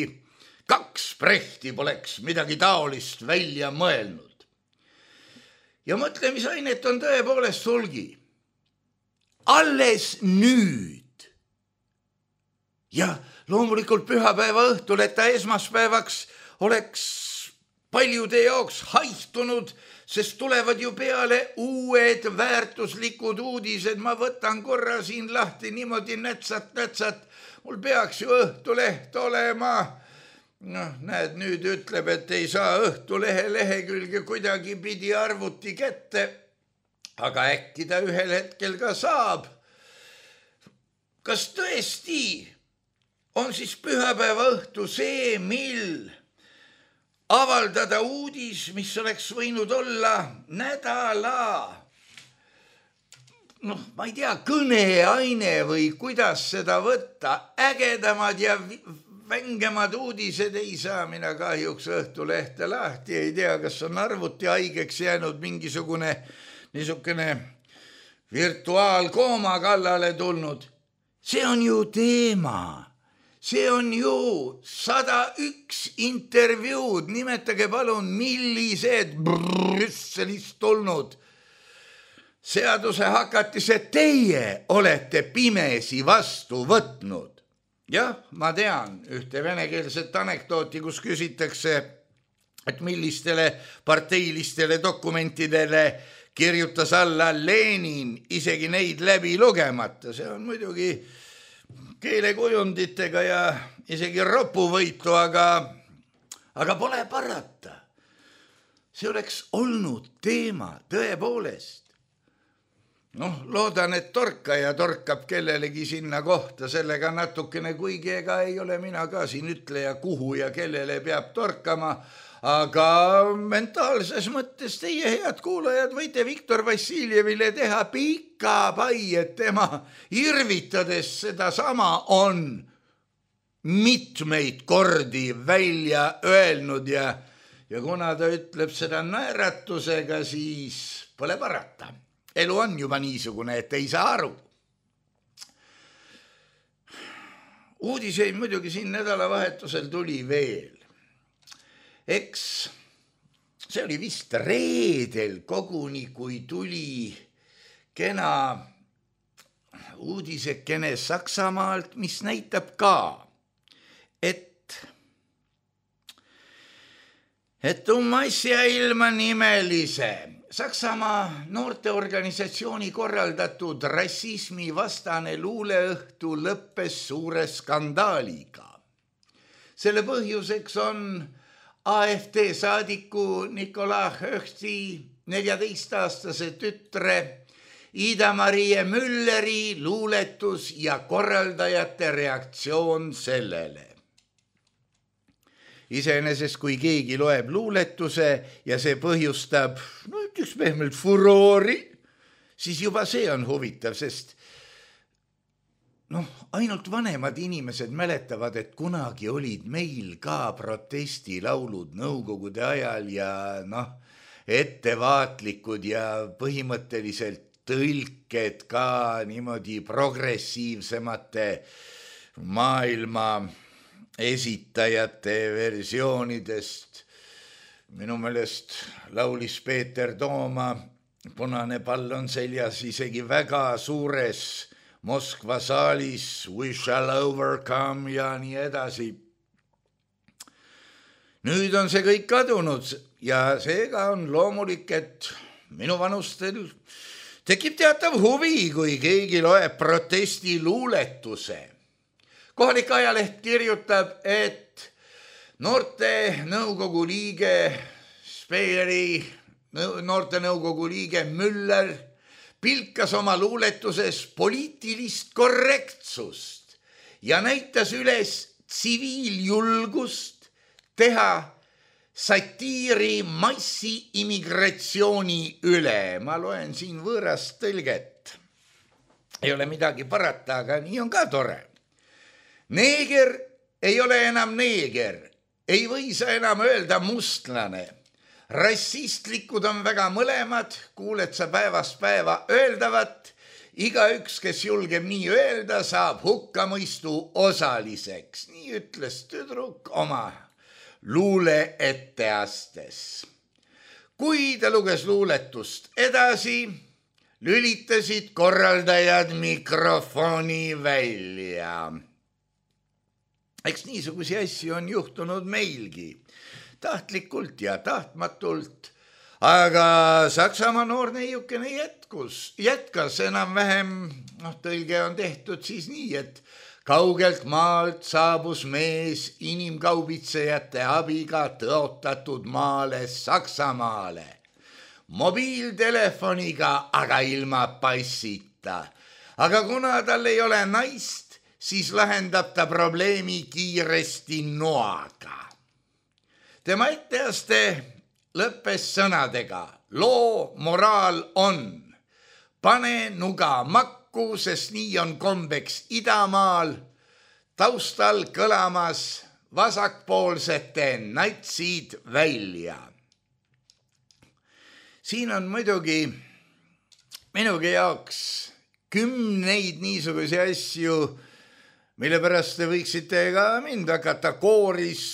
kaks Brechti poleks midagi taolist välja mõelnud. Ja mõtlemisainet on tõepoolest hulgi. Alles nüüd. Ja loomulikult pühapäeva õhtul, et ta esmaspäevaks oleks paljude jaoks haihtunud, sest tulevad ju peale uued väärtuslikud uudised. Ma võtan korra siin lahti niimoodi nätsat, nätsat. Mul peaks ju Õhtuleht olema. Noh, näed, nüüd ütleb, et ei saa Õhtulehe lehekülge kuidagi pidi arvuti kätte. Aga äkki ta ühel hetkel ka saab. Kas tõesti on siis pühapäeva õhtu see, mil avaldada uudis, mis oleks võinud olla nädala, noh, ma ei tea, kõneaine või kuidas seda võtta, ägedamad ja vängemad uudised ei saa mina kahjuks Õhtulehte lahti, ei tea, kas on arvuti haigeks jäänud mingisugune niisugune virtuaalkooma kallale tulnud. See on ju teema. See on ju sada üks intervjuud. Nimetage palun, millised Brüsselist tulnud seaduse hakatised teie olete pimesi vastu võtnud. Jah, ma tean ühte venekeelset anekdooti, kus küsitakse, et millistele parteilistele dokumentidele kirjutas alla Lenin, isegi neid läbi lugemata. See on muidugi keelekujunditega ja isegi ropuvõitu, aga, aga pole parata. See oleks olnud teema tõepoolest. Noh, loodan, et torkaja torkab kellelegi sinna kohta sellega natukene, kuigi ega ei ole mina ka siin ütleja, kuhu ja kellele peab torkama, aga mentaalses mõttes teie head kuulajad võite Viktor Vassiljevile teha pika pai, et tema irvitades seda sama on mitmeid kordi välja öelnud ja, ja kuna ta ütleb seda naeratusega, siis pole parata. Elu on juba niisugune, et ei saa aru. Uudiseid muidugi siin nädalavahetusel tuli veel. Eks see oli vist reedel koguni, kui tuli kena uudisekene Saksamaalt, mis näitab ka, et, et um asja ilma nimelise Saksamaa noorteorganisatsiooni korraldatud rassismi vastane luuleõhtu lõppes suure skandaaliga. Selle põhjuseks on A F D saadiku Nikolai Höchti neljateist-aastase tütre Ida-Marie Mülleri luuletus ja korraldajate reaktsioon sellele. Iseenesest, kui keegi loeb luuletuse ja see põhjustab, no ütleks pehmelt furoori, siis juba see on huvitav, sest noh, ainult vanemad inimesed mäletavad, et kunagi olid meil ka protestilaulud nõukogude ajal ja noh, ettevaatlikud ja põhimõtteliselt tõlked ka niimoodi progressiivsemate maailma esitajate versioonidest. Minu meelest laulis Peeter Tooma, punane pall on seljas isegi väga suures Moskva saalis, we shall overcome ja nii edasi. Nüüd on see kõik kadunud ja seega on loomulik, et minu vanustel tekib teatav huvi, kui keegi loeb protesti luuletuse. Kohalik ajaleht kirjutab, et noorte nõukogu liige Speeri, noorte nõukogu liige Müller pilkas oma luuletuses poliitilist korrektsust ja näitas üles tsiviiljulgust teha satiiri massi immigratsiooni üle. Ma loen siin võõrast tõlget. Ei ole midagi parata, aga nii on ka tore. Neeger ei ole enam neeger, ei või sa enam öelda mustlane. Rassistlikud on väga mõlemad, kuuled sa päevast päeva öeldavat. Iga üks, kes julgeb nii öelda, saab hukkamõistu osaliseks. Nii ütles tüdruk oma luule etteastes. Kui ta luges luuletust edasi, lülitasid korraldajad mikrofoni välja. Eks niisugusi asju on juhtunud meilgi. Tahtlikult ja tahtmatult, aga Saksamaa noor neiukene jätkus, jätkas enam-vähem, noh, tõlge on tehtud siis nii, et kaugelt maalt saabus mees inimkaubitsejate abiga tõotatud maale Saksamaale. Mobiiltelefoniga, aga ilma passita. Aga kuna tal ei ole naist, siis lahendab ta probleemi kiiresti noaga. Tema etteaste lõppes sõnadega. Loo moraal on. Pane nuga makku, sest nii on kombeks idamaal. Taustal kõlamas vasakpoolsete natsid välja. Siin on muidugi minugi jaoks kümneid niisugusi asju, mille pärast te võiksite ka mind hakata kooris.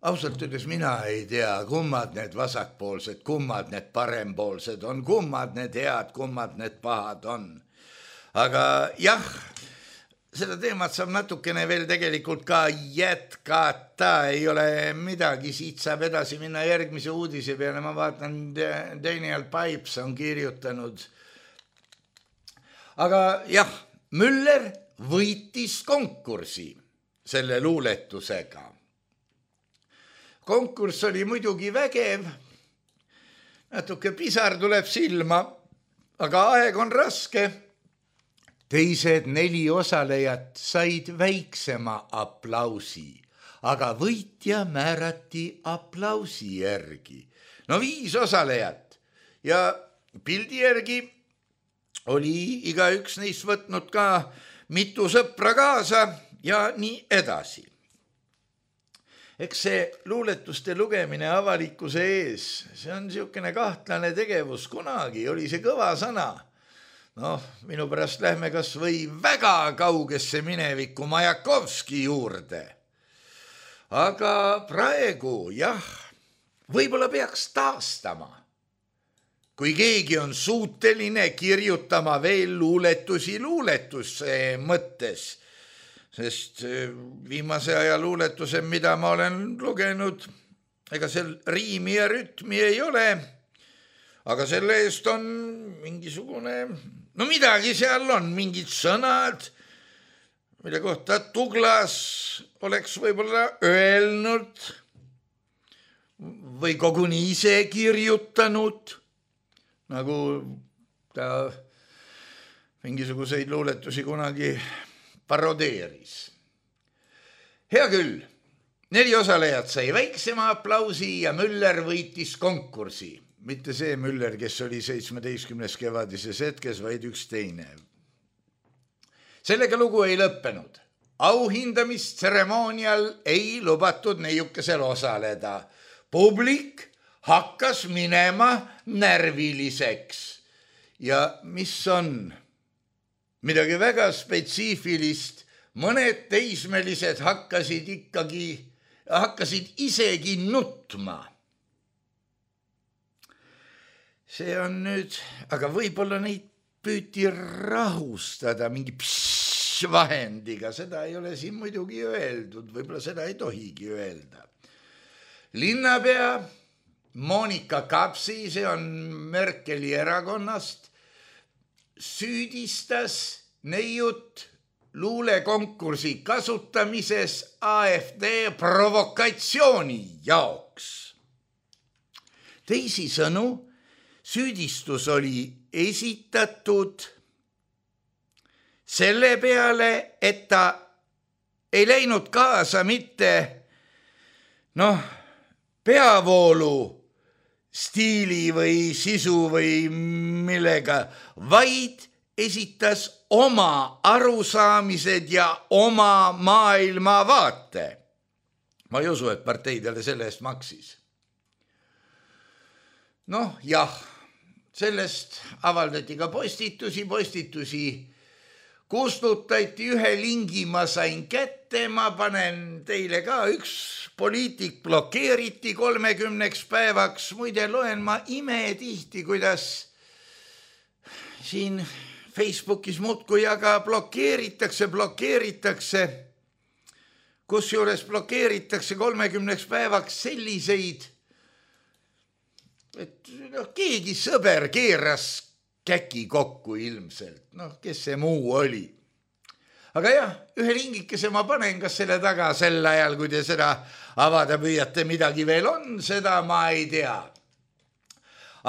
Ausalt öeldes mina ei tea, kummad need vasakpoolsed, kummad need parempoolsed on, kummad need head, kummad need pahad on. Aga jah, seda teemat saab natukene veel tegelikult ka jätkata, ei ole midagi, siit saab edasi minna järgmise uudise peale. Ma vaatan, Daniel Pipes on kirjutanud. Aga jah, Müller võitis konkursi selle luuletusega. Konkurss oli muidugi vägev, natuke pisar tuleb silma, aga aeg on raske. Teised neli osalejat said väiksema aplausi, aga võitja määrati aplausi järgi. No viis osalejat ja pildi järgi oli iga üks neist võtnud ka mitu sõpra kaasa ja nii edasi. Eks see luuletuste lugemine avalikkuse ees, see on niisugune kahtlane tegevus, kunagi oli see kõva sõna. Noh, minu pärast lähme kas või väga kaugesse minevikku Majakovski juurde. Aga praegu, jah, võib-olla peaks taastama. Kui keegi on suuteline kirjutama veel luuletusi luuletuse mõttes, sest viimase aja luuletused, mida ma olen lugenud, ega seal riimi ja rütmi ei ole, aga selle eest on mingisugune, no midagi seal on, mingid sõnad, mille kohta Tuglas oleks võib-olla öelnud või koguni ise kirjutanud, nagu ta mingisuguseid luuletusi kunagi parodeeris. Hea küll, neli osalejat sai väiksema aplausi ja Müller võitis konkursi. Mitte see Müller, kes oli seitsmeteistkümnes kevadises hetkes, vaid üks teine. Sellega lugu ei lõppenud. Auhindamistseremoonial ei lubatud neiukesel osaleda. Publik hakkas minema närviliseks. Ja mis on midagi väga spetsiifilist mõned teismelised hakkasid ikkagi, hakkasid isegi nutma. See on nüüd, aga võib-olla neid püüti rahustada mingi pšš vahendiga, seda ei ole siin muidugi öeldud, võib-olla seda ei tohigi öelda. Linnapea Monika Kapsi, see on Merkeli erakonnast, süüdistas neiut luulekonkursi kasutamises A F D provokatsiooni jaoks. Teisisõnu, süüdistus oli esitatud selle peale, et ta ei läinud kaasa mitte noh, peavoolu stiili või sisu või millega, vaid esitas oma arusaamised ja oma maailmavaate. Ma ei usu, et parteidele selle eest maksis. Noh, jah, sellest avaldati ka postitusi, postitusi kustutati, ühe lingi ma sain kätte, ma panen teile ka, üks poliitik blokeeriti kolmekümneks päevaks, muide loen ma imetihti, kuidas siin Facebookis muudkui aga blokeeritakse, blokeeritakse, kusjuures blokeeritakse kolmekümneks päevaks selliseid, et noh, keegi sõber keeras käki kokku ilmselt, noh, kes see muu oli. Aga jah, ühe lingikese ma panen, kas selle taga sel ajal, kui te seda avada püüate, midagi veel on, seda ma ei tea.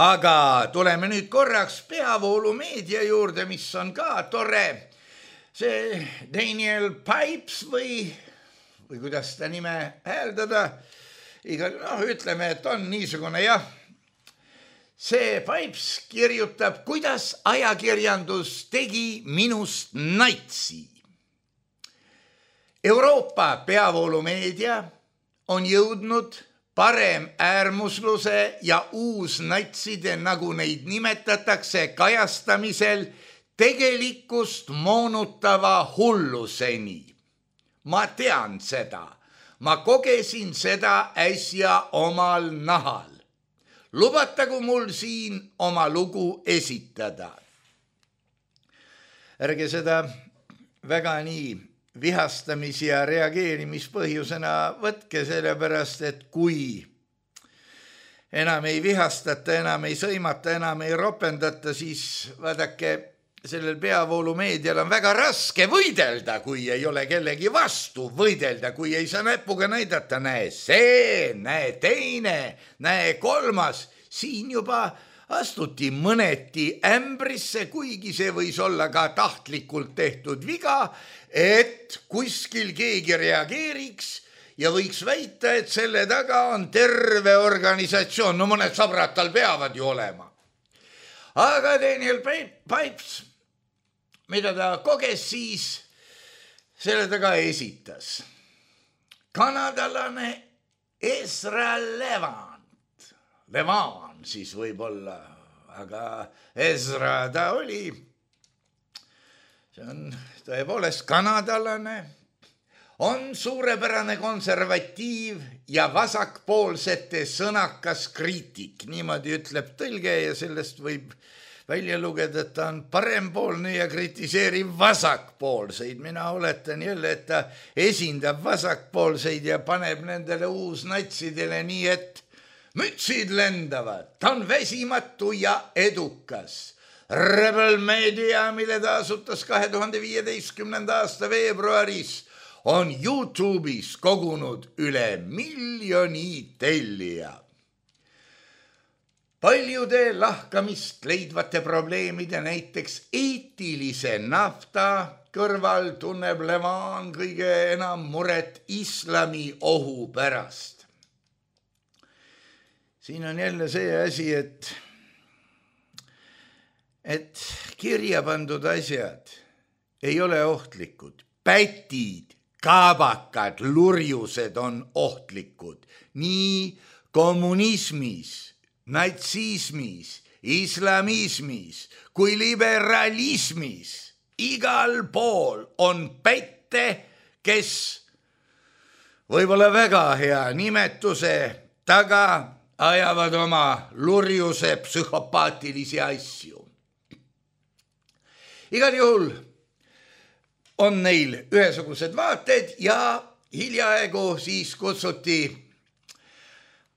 Aga tuleme nüüd korraks peavoolumeedia juurde, mis on ka tore. See Daniel Pipes või, või kuidas ta nime hääldada, iga, noh, ütleme, et on niisugune jah. See Pipes kirjutab, kuidas ajakirjandus tegi minust natsi. Euroopa peavoolumeedia on jõudnud parem äärmusluse ja uusnatside, nagu neid nimetatakse, kajastamisel tegelikkust moonutava hulluseni. Ma tean seda. Ma kogesin seda äsja omal nahal. Lubatagu mul siin oma lugu esitada. Ärge seda väga nii vihastamis- ja reageerimispõhjusena võtke, sellepärast, et kui enam ei vihastata, enam ei sõimata, enam ei ropendata, siis vaadake, sellel peavoolumeedial on väga raske võidelda, kui ei ole kellegi vastu võidelda, kui ei saa näpuga näidata, näe see, näe teine, näe kolmas, siin juba astuti mõneti ämbrisse, kuigi see võis olla ka tahtlikult tehtud viga, et kuskil keegi reageeriks ja võiks väita, et selle taga on terve organisatsioon, no mõned sõbrad tal peavad ju olema. Aga Daniel Pipes, mida ta koges siis, selle taga esitas kanadalane Ezra Levant, Levant siis võib-olla, aga Ezra ta oli, see on tõepoolest kanadalane, on suurepärane konservatiiv ja vasakpoolsete sõnakas kriitik, niimoodi ütleb tõlge ja sellest võib välja lugeda, et ta on parempoolne ja kritiseerib vasakpoolseid. Mina oletan jälle, et ta esindab vasakpoolseid ja paneb nendele uusnatsidele nii, et mütsid lendavad. Ta on väsimatu ja edukas. Rebel Media, mille ta asutas kahe tuhande viieteistkümnenda aasta veebruaris, on YouTube'is kogunud üle miljoni tellija. Paljude lahkamist leidvate probleemide, näiteks eetilise nafta kõrval tunneb Levant kõige enam muret islami ohu pärast. Siin on jälle see asi, et, et kirja pandud asjad ei ole ohtlikud. Pätid, kaabakad, lurjused on ohtlikud. Nii kommunismis, natsismis, islamismis kui liberalismis igal pool on pätt ette, kes võib-olla väga hea nimetuse taga ajavad oma lurjuse psühhopaatilisi asju. Igal juhul on neil ühesugused vaated ja hiljaaegu siis kutsuti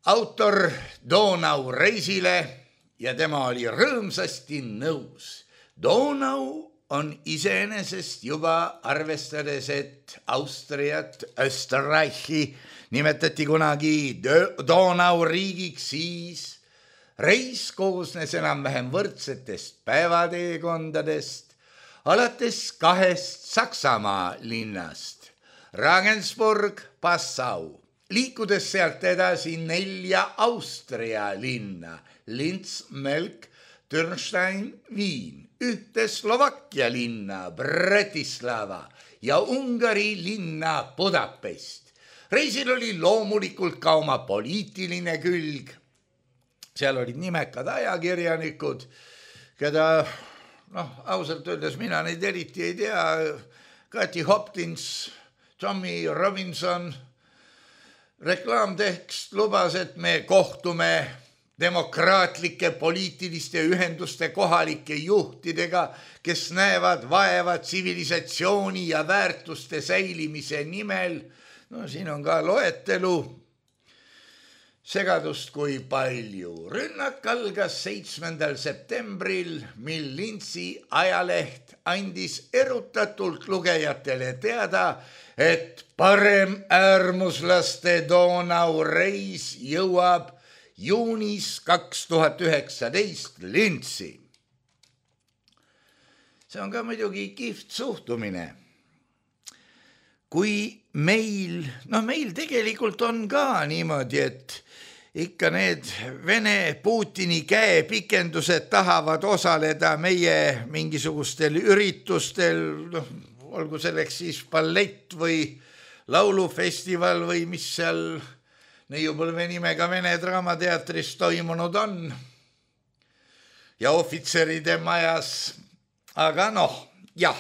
autor Donau reisile ja tema oli rõõmsasti nõus. Donau on iseenesest juba arvestades, et Austriat, Österreichi nimetati kunagi Donau riigiks, siis reis koosnes enam-vähem võrdsetest päevateekondadest alates kahest Saksamaa linnast, Regensburg, Passau, liikudes sealt edasi nelja Austria linna, Linz, Melk, Türnstein, Viin, ühte Slovakkia linna, Bratislava ja Ungari linna Budapest. Reisil oli loomulikult ka oma poliitiline külg. Seal olid nimekad ajakirjanikud, keda, noh, ausalt öeldes mina neid eriti ei tea. Kathy Hopkins, Tommy Robinson. Reklaamtekst lubas, et me kohtume demokraatlike poliitiliste ühenduste kohalike juhtidega, kes näevad vaeva tsivilisatsiooni ja väärtuste säilimise nimel. No siin on ka loetelu. Segadust kui palju. Rünnak algas seitsmendal septembril, mil Linzi ajaleht andis erutatult lugejatele teada, et parem äärmuslaste Donau reis jõuab juunis kaks tuhat üheksateist Linzi. See on ka muidugi kihvt suhtumine. Kui meil, noh meil tegelikult on ka niimoodi, et ikka need Vene Putini käepikendused tahavad osaleda meie mingisugustel üritustel, noh, olgu selleks siis ballett või laulufestival või mis seal neiupõlve nimega Vene Draamateatris toimunud on ja ohvitseride majas. Aga noh, jah,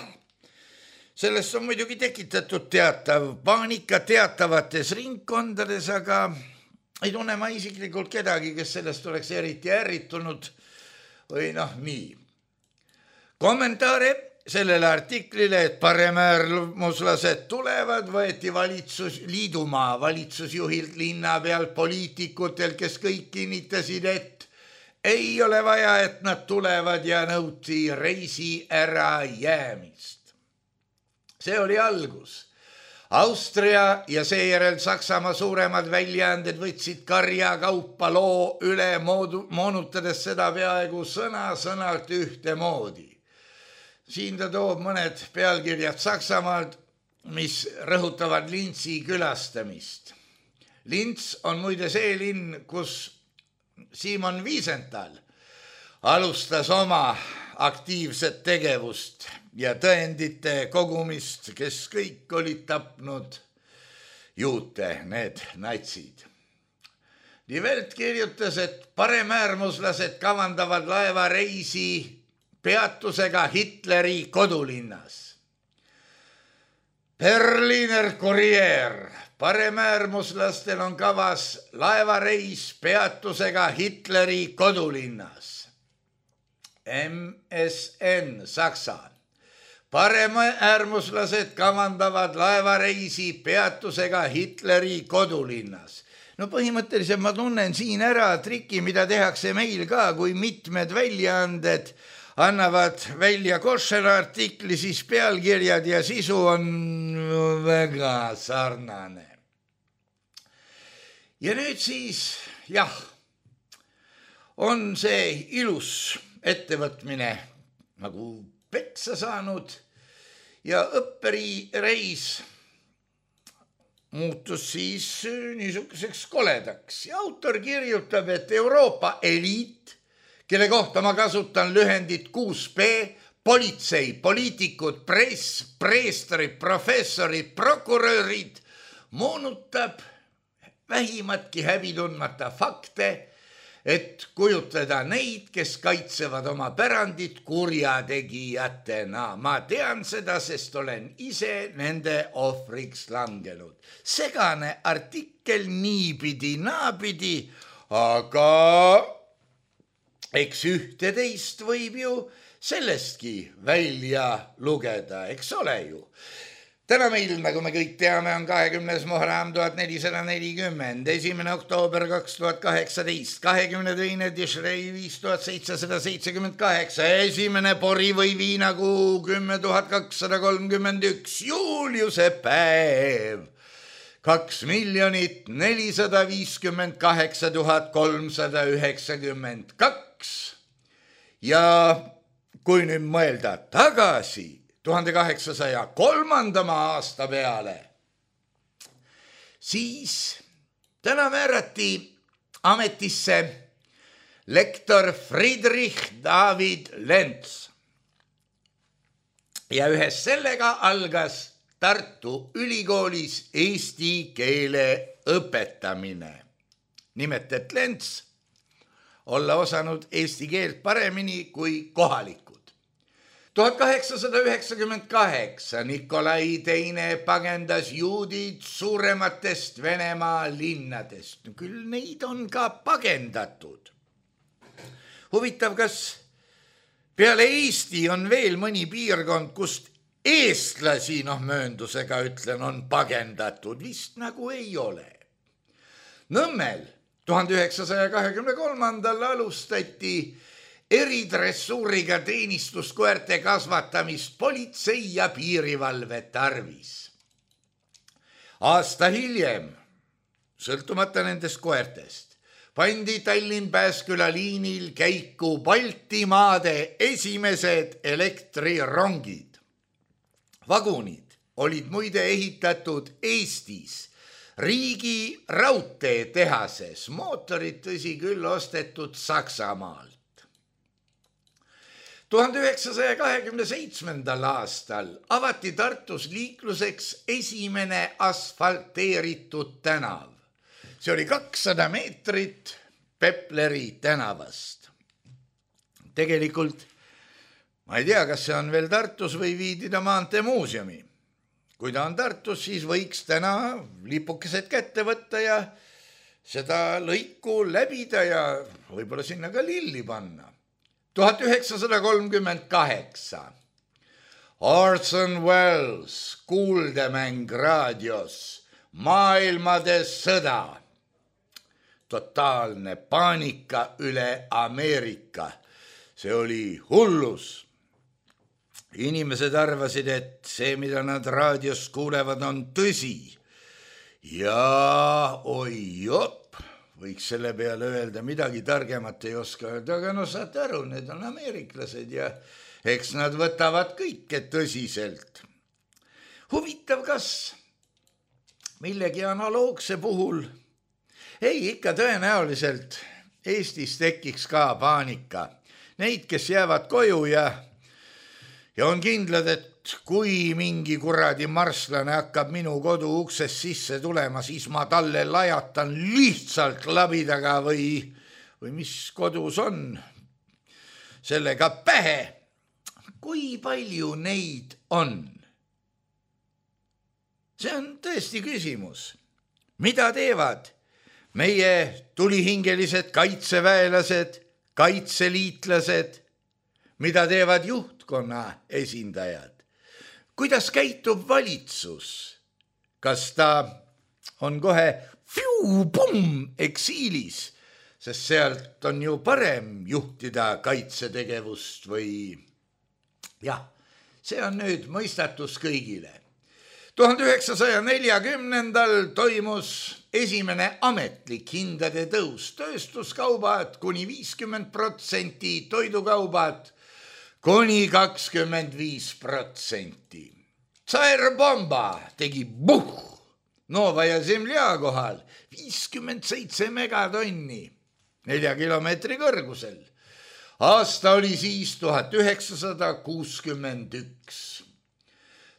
sellest on muidugi tekitatud teatav paanika teatavates ringkondades, aga ei tunne ma isiklikult kedagi, kes sellest oleks eriti ärritunud või noh, nii. Kommentaare sellele artiklile, et paremäärmuslased tulevad, võeti valitsus, liidumaa valitsusjuhilt, linna pealt, poliitikutel, kes kõik kinnitasid, et ei ole vaja, et nad tulevad ja nõuti reisi ära jäämist. See oli algus. Austria ja seejärel Saksamaa suuremad väljaanded võtsid karja kaupa loo üle, moonutades seda peaaegu sõna-sõnalt ühte moodi. Siin ta toob mõned pealkirjad Saksamaalt, mis rõhutavad Linzi külastamist. Linz on muide see linn, kus Simon Wiesenthal alustas oma aktiivset tegevust ja tõendite kogumist, kes kõik olid tapnud juute, need natsid. Die Welt kirjutas, et paremäärmuslased kavandavad laevareisi peatusega Hitleri kodulinnas. Berliner Kurier, paremäärmuslastel on kavas laevareis peatusega Hitleri kodulinnas. M S N Saksa. Paremäärmuslased kavandavad laevareisi peatusega Hitleri kodulinnas. No põhimõtteliselt ma tunnen siin ära triki, mida tehakse meil ka, kui mitmed väljaanded annavad välja Koššera artikli, siis pealkirjad ja sisu on väga sarnane. Ja nüüd siis, jah, on see ilus ettevõtmine nagu peksa saanud ja õpperireis muutus siis niisuguseks koledaks. Ja autor kirjutab, et Euroopa eliit, kelle kohta ma kasutan lühendit kuus B, politsei, poliitikud, press, preestrid, professorid, prokurörid, moonutab vähimatki häbi tundmata fakte, et kujutleda neid, kes kaitsevad oma pärandit kurjategijatena. Ma tean seda, sest olen ise nende ohvriks langenud. Segane artikkel niipidi, naapidi, aga eks ühte teist võib ju sellestki välja lugeda, eks ole ju. Täna meil, nagu me kõik teame, on kahekümnes Muharram tuhat nelisada nelikümmend, esimene oktoober kaks tuhat kaheksateist, kahekümne teine Tishrei viis tuhat seitsesada seitsekümmend kaheksa, esimene pori või viinakuu kümme tuhat kakssada kolmkümmend üks, Juliuse päev, kaks miljonit nelisada viiskümmend kaheksa tuhat kolmsada üheksakümmend kaks. Ja kui nüüd mõelda tagasi tuhande kaheksasaja kolmandama aasta peale, siis täna määrati ametisse lektor Friedrich David Lenz. Ja ühes sellega algas Tartu Ülikoolis eesti keele õpetamine. Nimelt, et Lenz olla osanud eesti keelt paremini kui kohalikud. tuhat kaheksasada üheksakümmend kaheksa Nikolai teine pagendas juudid suurematest Venemaa linnadest. Küll neid on ka pagendatud. Huvitav, kas peale Eesti on veel mõni piirkond, kust eestlasi, noh mööndusega ütlen, on pagendatud? Vist nagu ei ole. Nõmmel tuhande üheksasaja kahekümne kolmandal alustati eridressuuriga teenistuskoerte kasvatamist politsei ja piirivalve tarvis. Aasta hiljem, sõltumata nendest koertest, pandi Tallinn-Pääsküla liinil käiku Baltimaade esimesed elektrirongid. Vagunid olid muide ehitatud Eestis riigi raudteetehases, mootorid tõsi küll ostetud Saksamaalt. tuhande üheksasaja kahekümne seitsmendal aastal avati Tartus liikluseks esimene asfalteeritud tänav. See oli kakssada meetrit Pepleri tänavast. Tegelikult ma ei tea, kas see on veel Tartus või viidi ta maanteemuuseumi. Kui ta on Tartus, siis võiks täna lipukesed kätte võtta ja seda lõiku läbida ja võib-olla sinna ka lilli panna. tuhat üheksasada kolmkümmend kaheksa Orson Welles, kuuldemäng raadios, maailmade sõda. Totaalne paanika üle Ameerika. See oli hullus. Inimesed arvasid, et see, mida nad raadios kuulevad, on tõsi. Ja oi jopp. Võiks selle peale öelda, midagi targemat ei oska öelda, aga no saate aru, need on ameeriklased ja eks nad võtavad kõike tõsiselt. Huvitav, kas millegi analoogse puhul, ei ikka tõenäoliselt Eestis tekiks ka paanika. Neid, kes jäävad koju ja, ja on kindlad, et kui mingi kuradi marslane hakkab minu kodu uksest sisse tulema, siis ma talle lajatan lihtsalt labidaga või, või mis kodus on, sellega pähe. Kui palju neid on? See on tõesti küsimus. Mida teevad meie tulihingelised kaitseväelased, kaitseliitlased? Mida teevad juhtkonna esindajad? Kuidas käitub valitsus? Kas ta on kohe fiu, pum, eksiilis, sest sealt on ju parem juhtida kaitsetegevust või... Jah, see on nüüd mõistatus kõigile. tuhande üheksasaja neljakümnendal toimus esimene ametlik hindade tõus. Tööstuskaubad kuni viiskümmend protsenti, toidukaubad kuni kakskümmend viis protsenti. Tsaerbomba tegi buh, Nova ja Zemlja kohal viiskümmend seitse megatonni nelja kilomeetri kõrgusel. Aasta oli siis tuhat üheksasada kuuskümmend üks.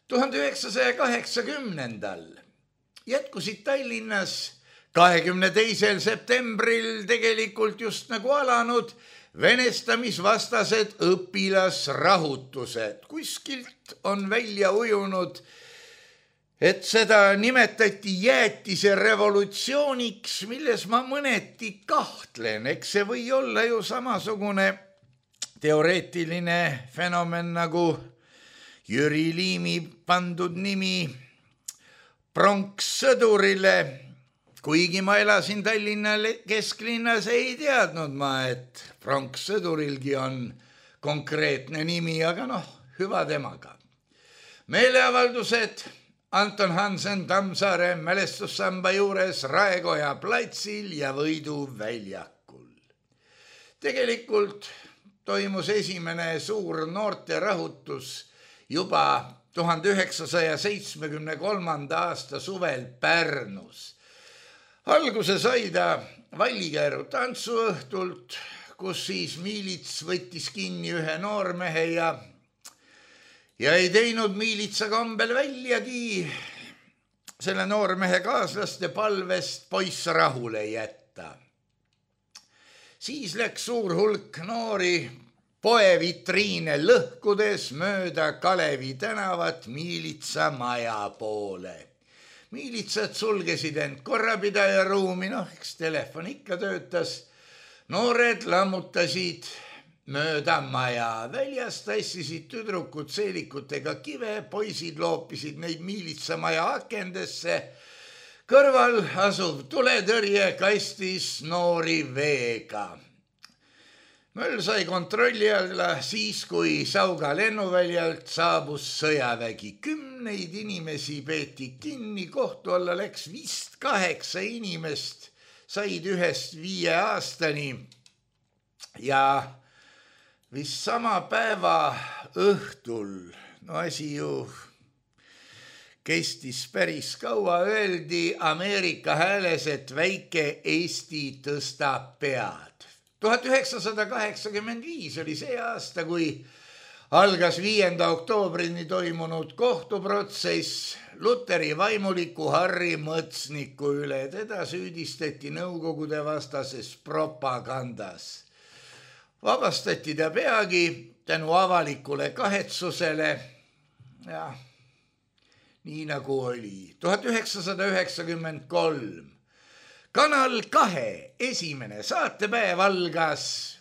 tuhande üheksasaja kaheksakümnendal jätkusid Tallinnas kahekümne teisel septembril tegelikult just nagu alanud venestamisvastased õpilasrahutused. Kuskilt on välja ujunud, et seda nimetati jäätise revolutsiooniks, milles ma mõneti kahtlen. Eks see või olla ju samasugune teoreetiline fenomen nagu Jüri Liimi pandud nimi pronkssõdurile. Kuigi ma elasin Tallinna kesklinnas, ei teadnud ma, et pronkssõdurilgi on konkreetne nimi, aga noh, hüva temaga. Meeleavaldused Anton Hansen Tammsaare mälestussamba juures Raekoja platsil ja Võidu väljakul. Tegelikult toimus esimene suur noorterahutus juba tuhande üheksasaja seitsmekümne kolmanda aasta suvel Pärnus. Alguse sai ta Vallikäru tantsuõhtult, kus siis miilits võttis kinni ühe noormehe ja, ja ei teinud miilitsa kombel väljagi selle noormehe kaaslaste palvest poiss rahule jätta. Siis läks suur hulk noori poevitriine lõhkudes mööda Kalevi tänavat miilitsa maja poole. Miilitsad sulgesid end korrapidaja ruumi, noh, eks telefon ikka töötas. Noored lammutasid mööda maja, väljas tassisid tüdrukud seelikutega kive, poisid loopisid neid miilitsamaja akendesse. Kõrval asuv tuletõrje kastis noori veega. Möll sai kontrolli alla siis, kui Sauga lennuväljalt saabus sõjavägi. Kümneid inimesi peeti kinni, kohtu alla läks vist kaheksa inimest, said ühest viie aastani ja vist sama päeva õhtul, no asi ju kestis päris kaua, öeldi Ameerika hääles, et väike Eesti tõstab pead. tuhat üheksasada kaheksakümmend viis oli see aasta, kui algas viienda oktoobrini toimunud kohtuprotsess Luteri vaimuliku Harri Mõtsniku üle. Teda süüdistati Nõukogude vastases propagandas. Vabastati ta peagi tänu avalikule kahetsusele ja nii nagu oli. tuhat üheksasada üheksakümmend kolm. Kanal kahe esimene saatepäev algas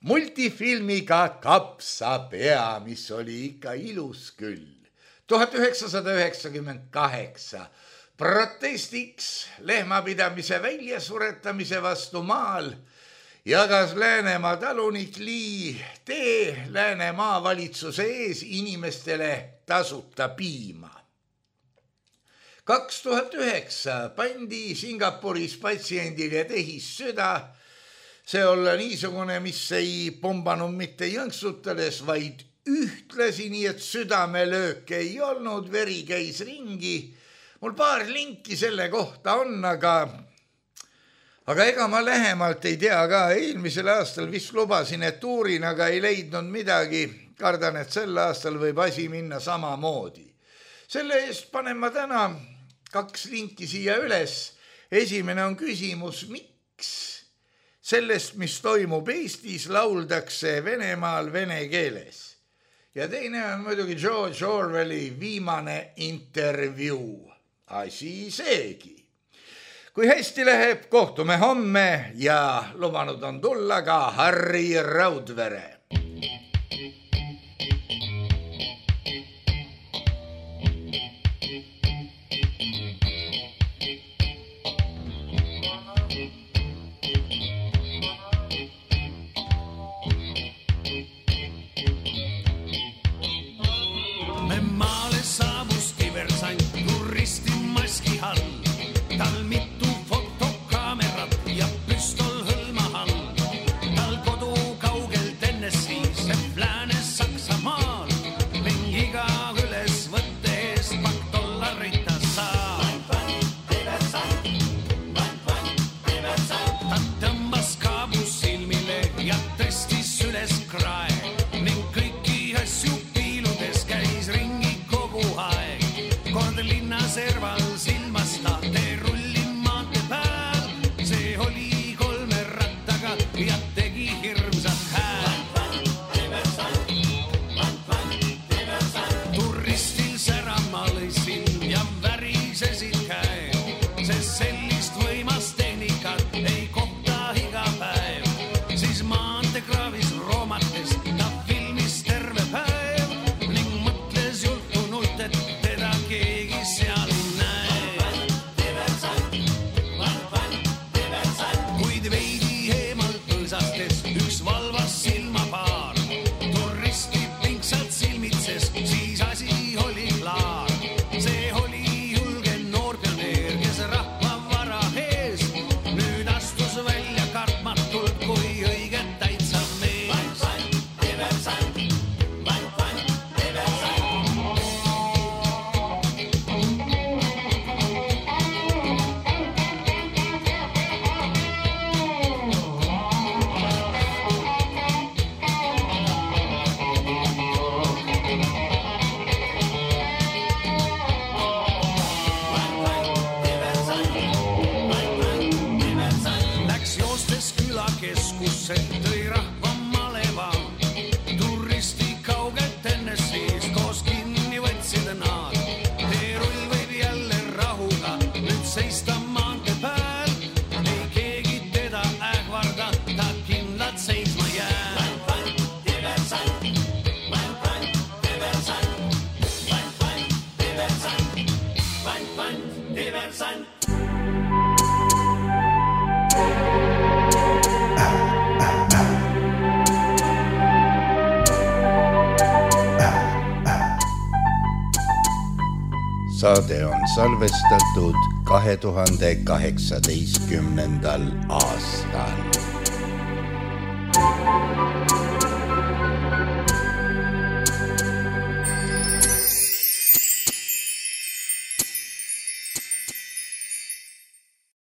multifilmiga Kapsapea, mis oli ikka ilus küll. tuhat üheksasada üheksakümmend kaheksa. Protestiks lehmapidamise väljasuretamise vastu maal jagas Läänemaa talunik Lii tee Läänemaa valitsuse ees inimestele tasuta piima. kaks tuhat üheksa pandi Singapuris patsiendile tehis süda, see olla niisugune, mis ei pombanud mitte jõnksutades, vaid ühtlasi, nii et südamelööke ei olnud, veri käis ringi. Mul paar linki selle kohta on, aga, aga ega ma lähemalt ei tea ka. Eelmisel aastal vist lubasin, et uurin, aga ei leidnud midagi. Kardan, et sel aastal võib asi minna samamoodi. Selle eest panen ma täna kaks linki siia üles. Esimene on küsimus, miks sellest, mis toimub Eestis, lauldakse Venemaal vene keeles. Ja teine on muidugi George Orwelli viimane intervjuu. Asi seegi. Kui hästi läheb, kohtume homme ja lubanud on tulla ka Harri Raudvere. Tal mitu fotokaamerat ja püstol hõlma all, tal kodu kaugel Tennessee. oli rahva maleva. Turisti kauget enne siis koos kinni võtsid nad. Teerull võib jälle rahuga nüüd seista maante pääl. Ei keegi teda ähvarda, ta kindlalt seisma jää. Vant, vant, diversant. Vant, vant, diversant. Vant, vant, diversant. Vant, vant, diversant. Saade on salvestatud kahe tuhande kaheksateistkümnendal aastal.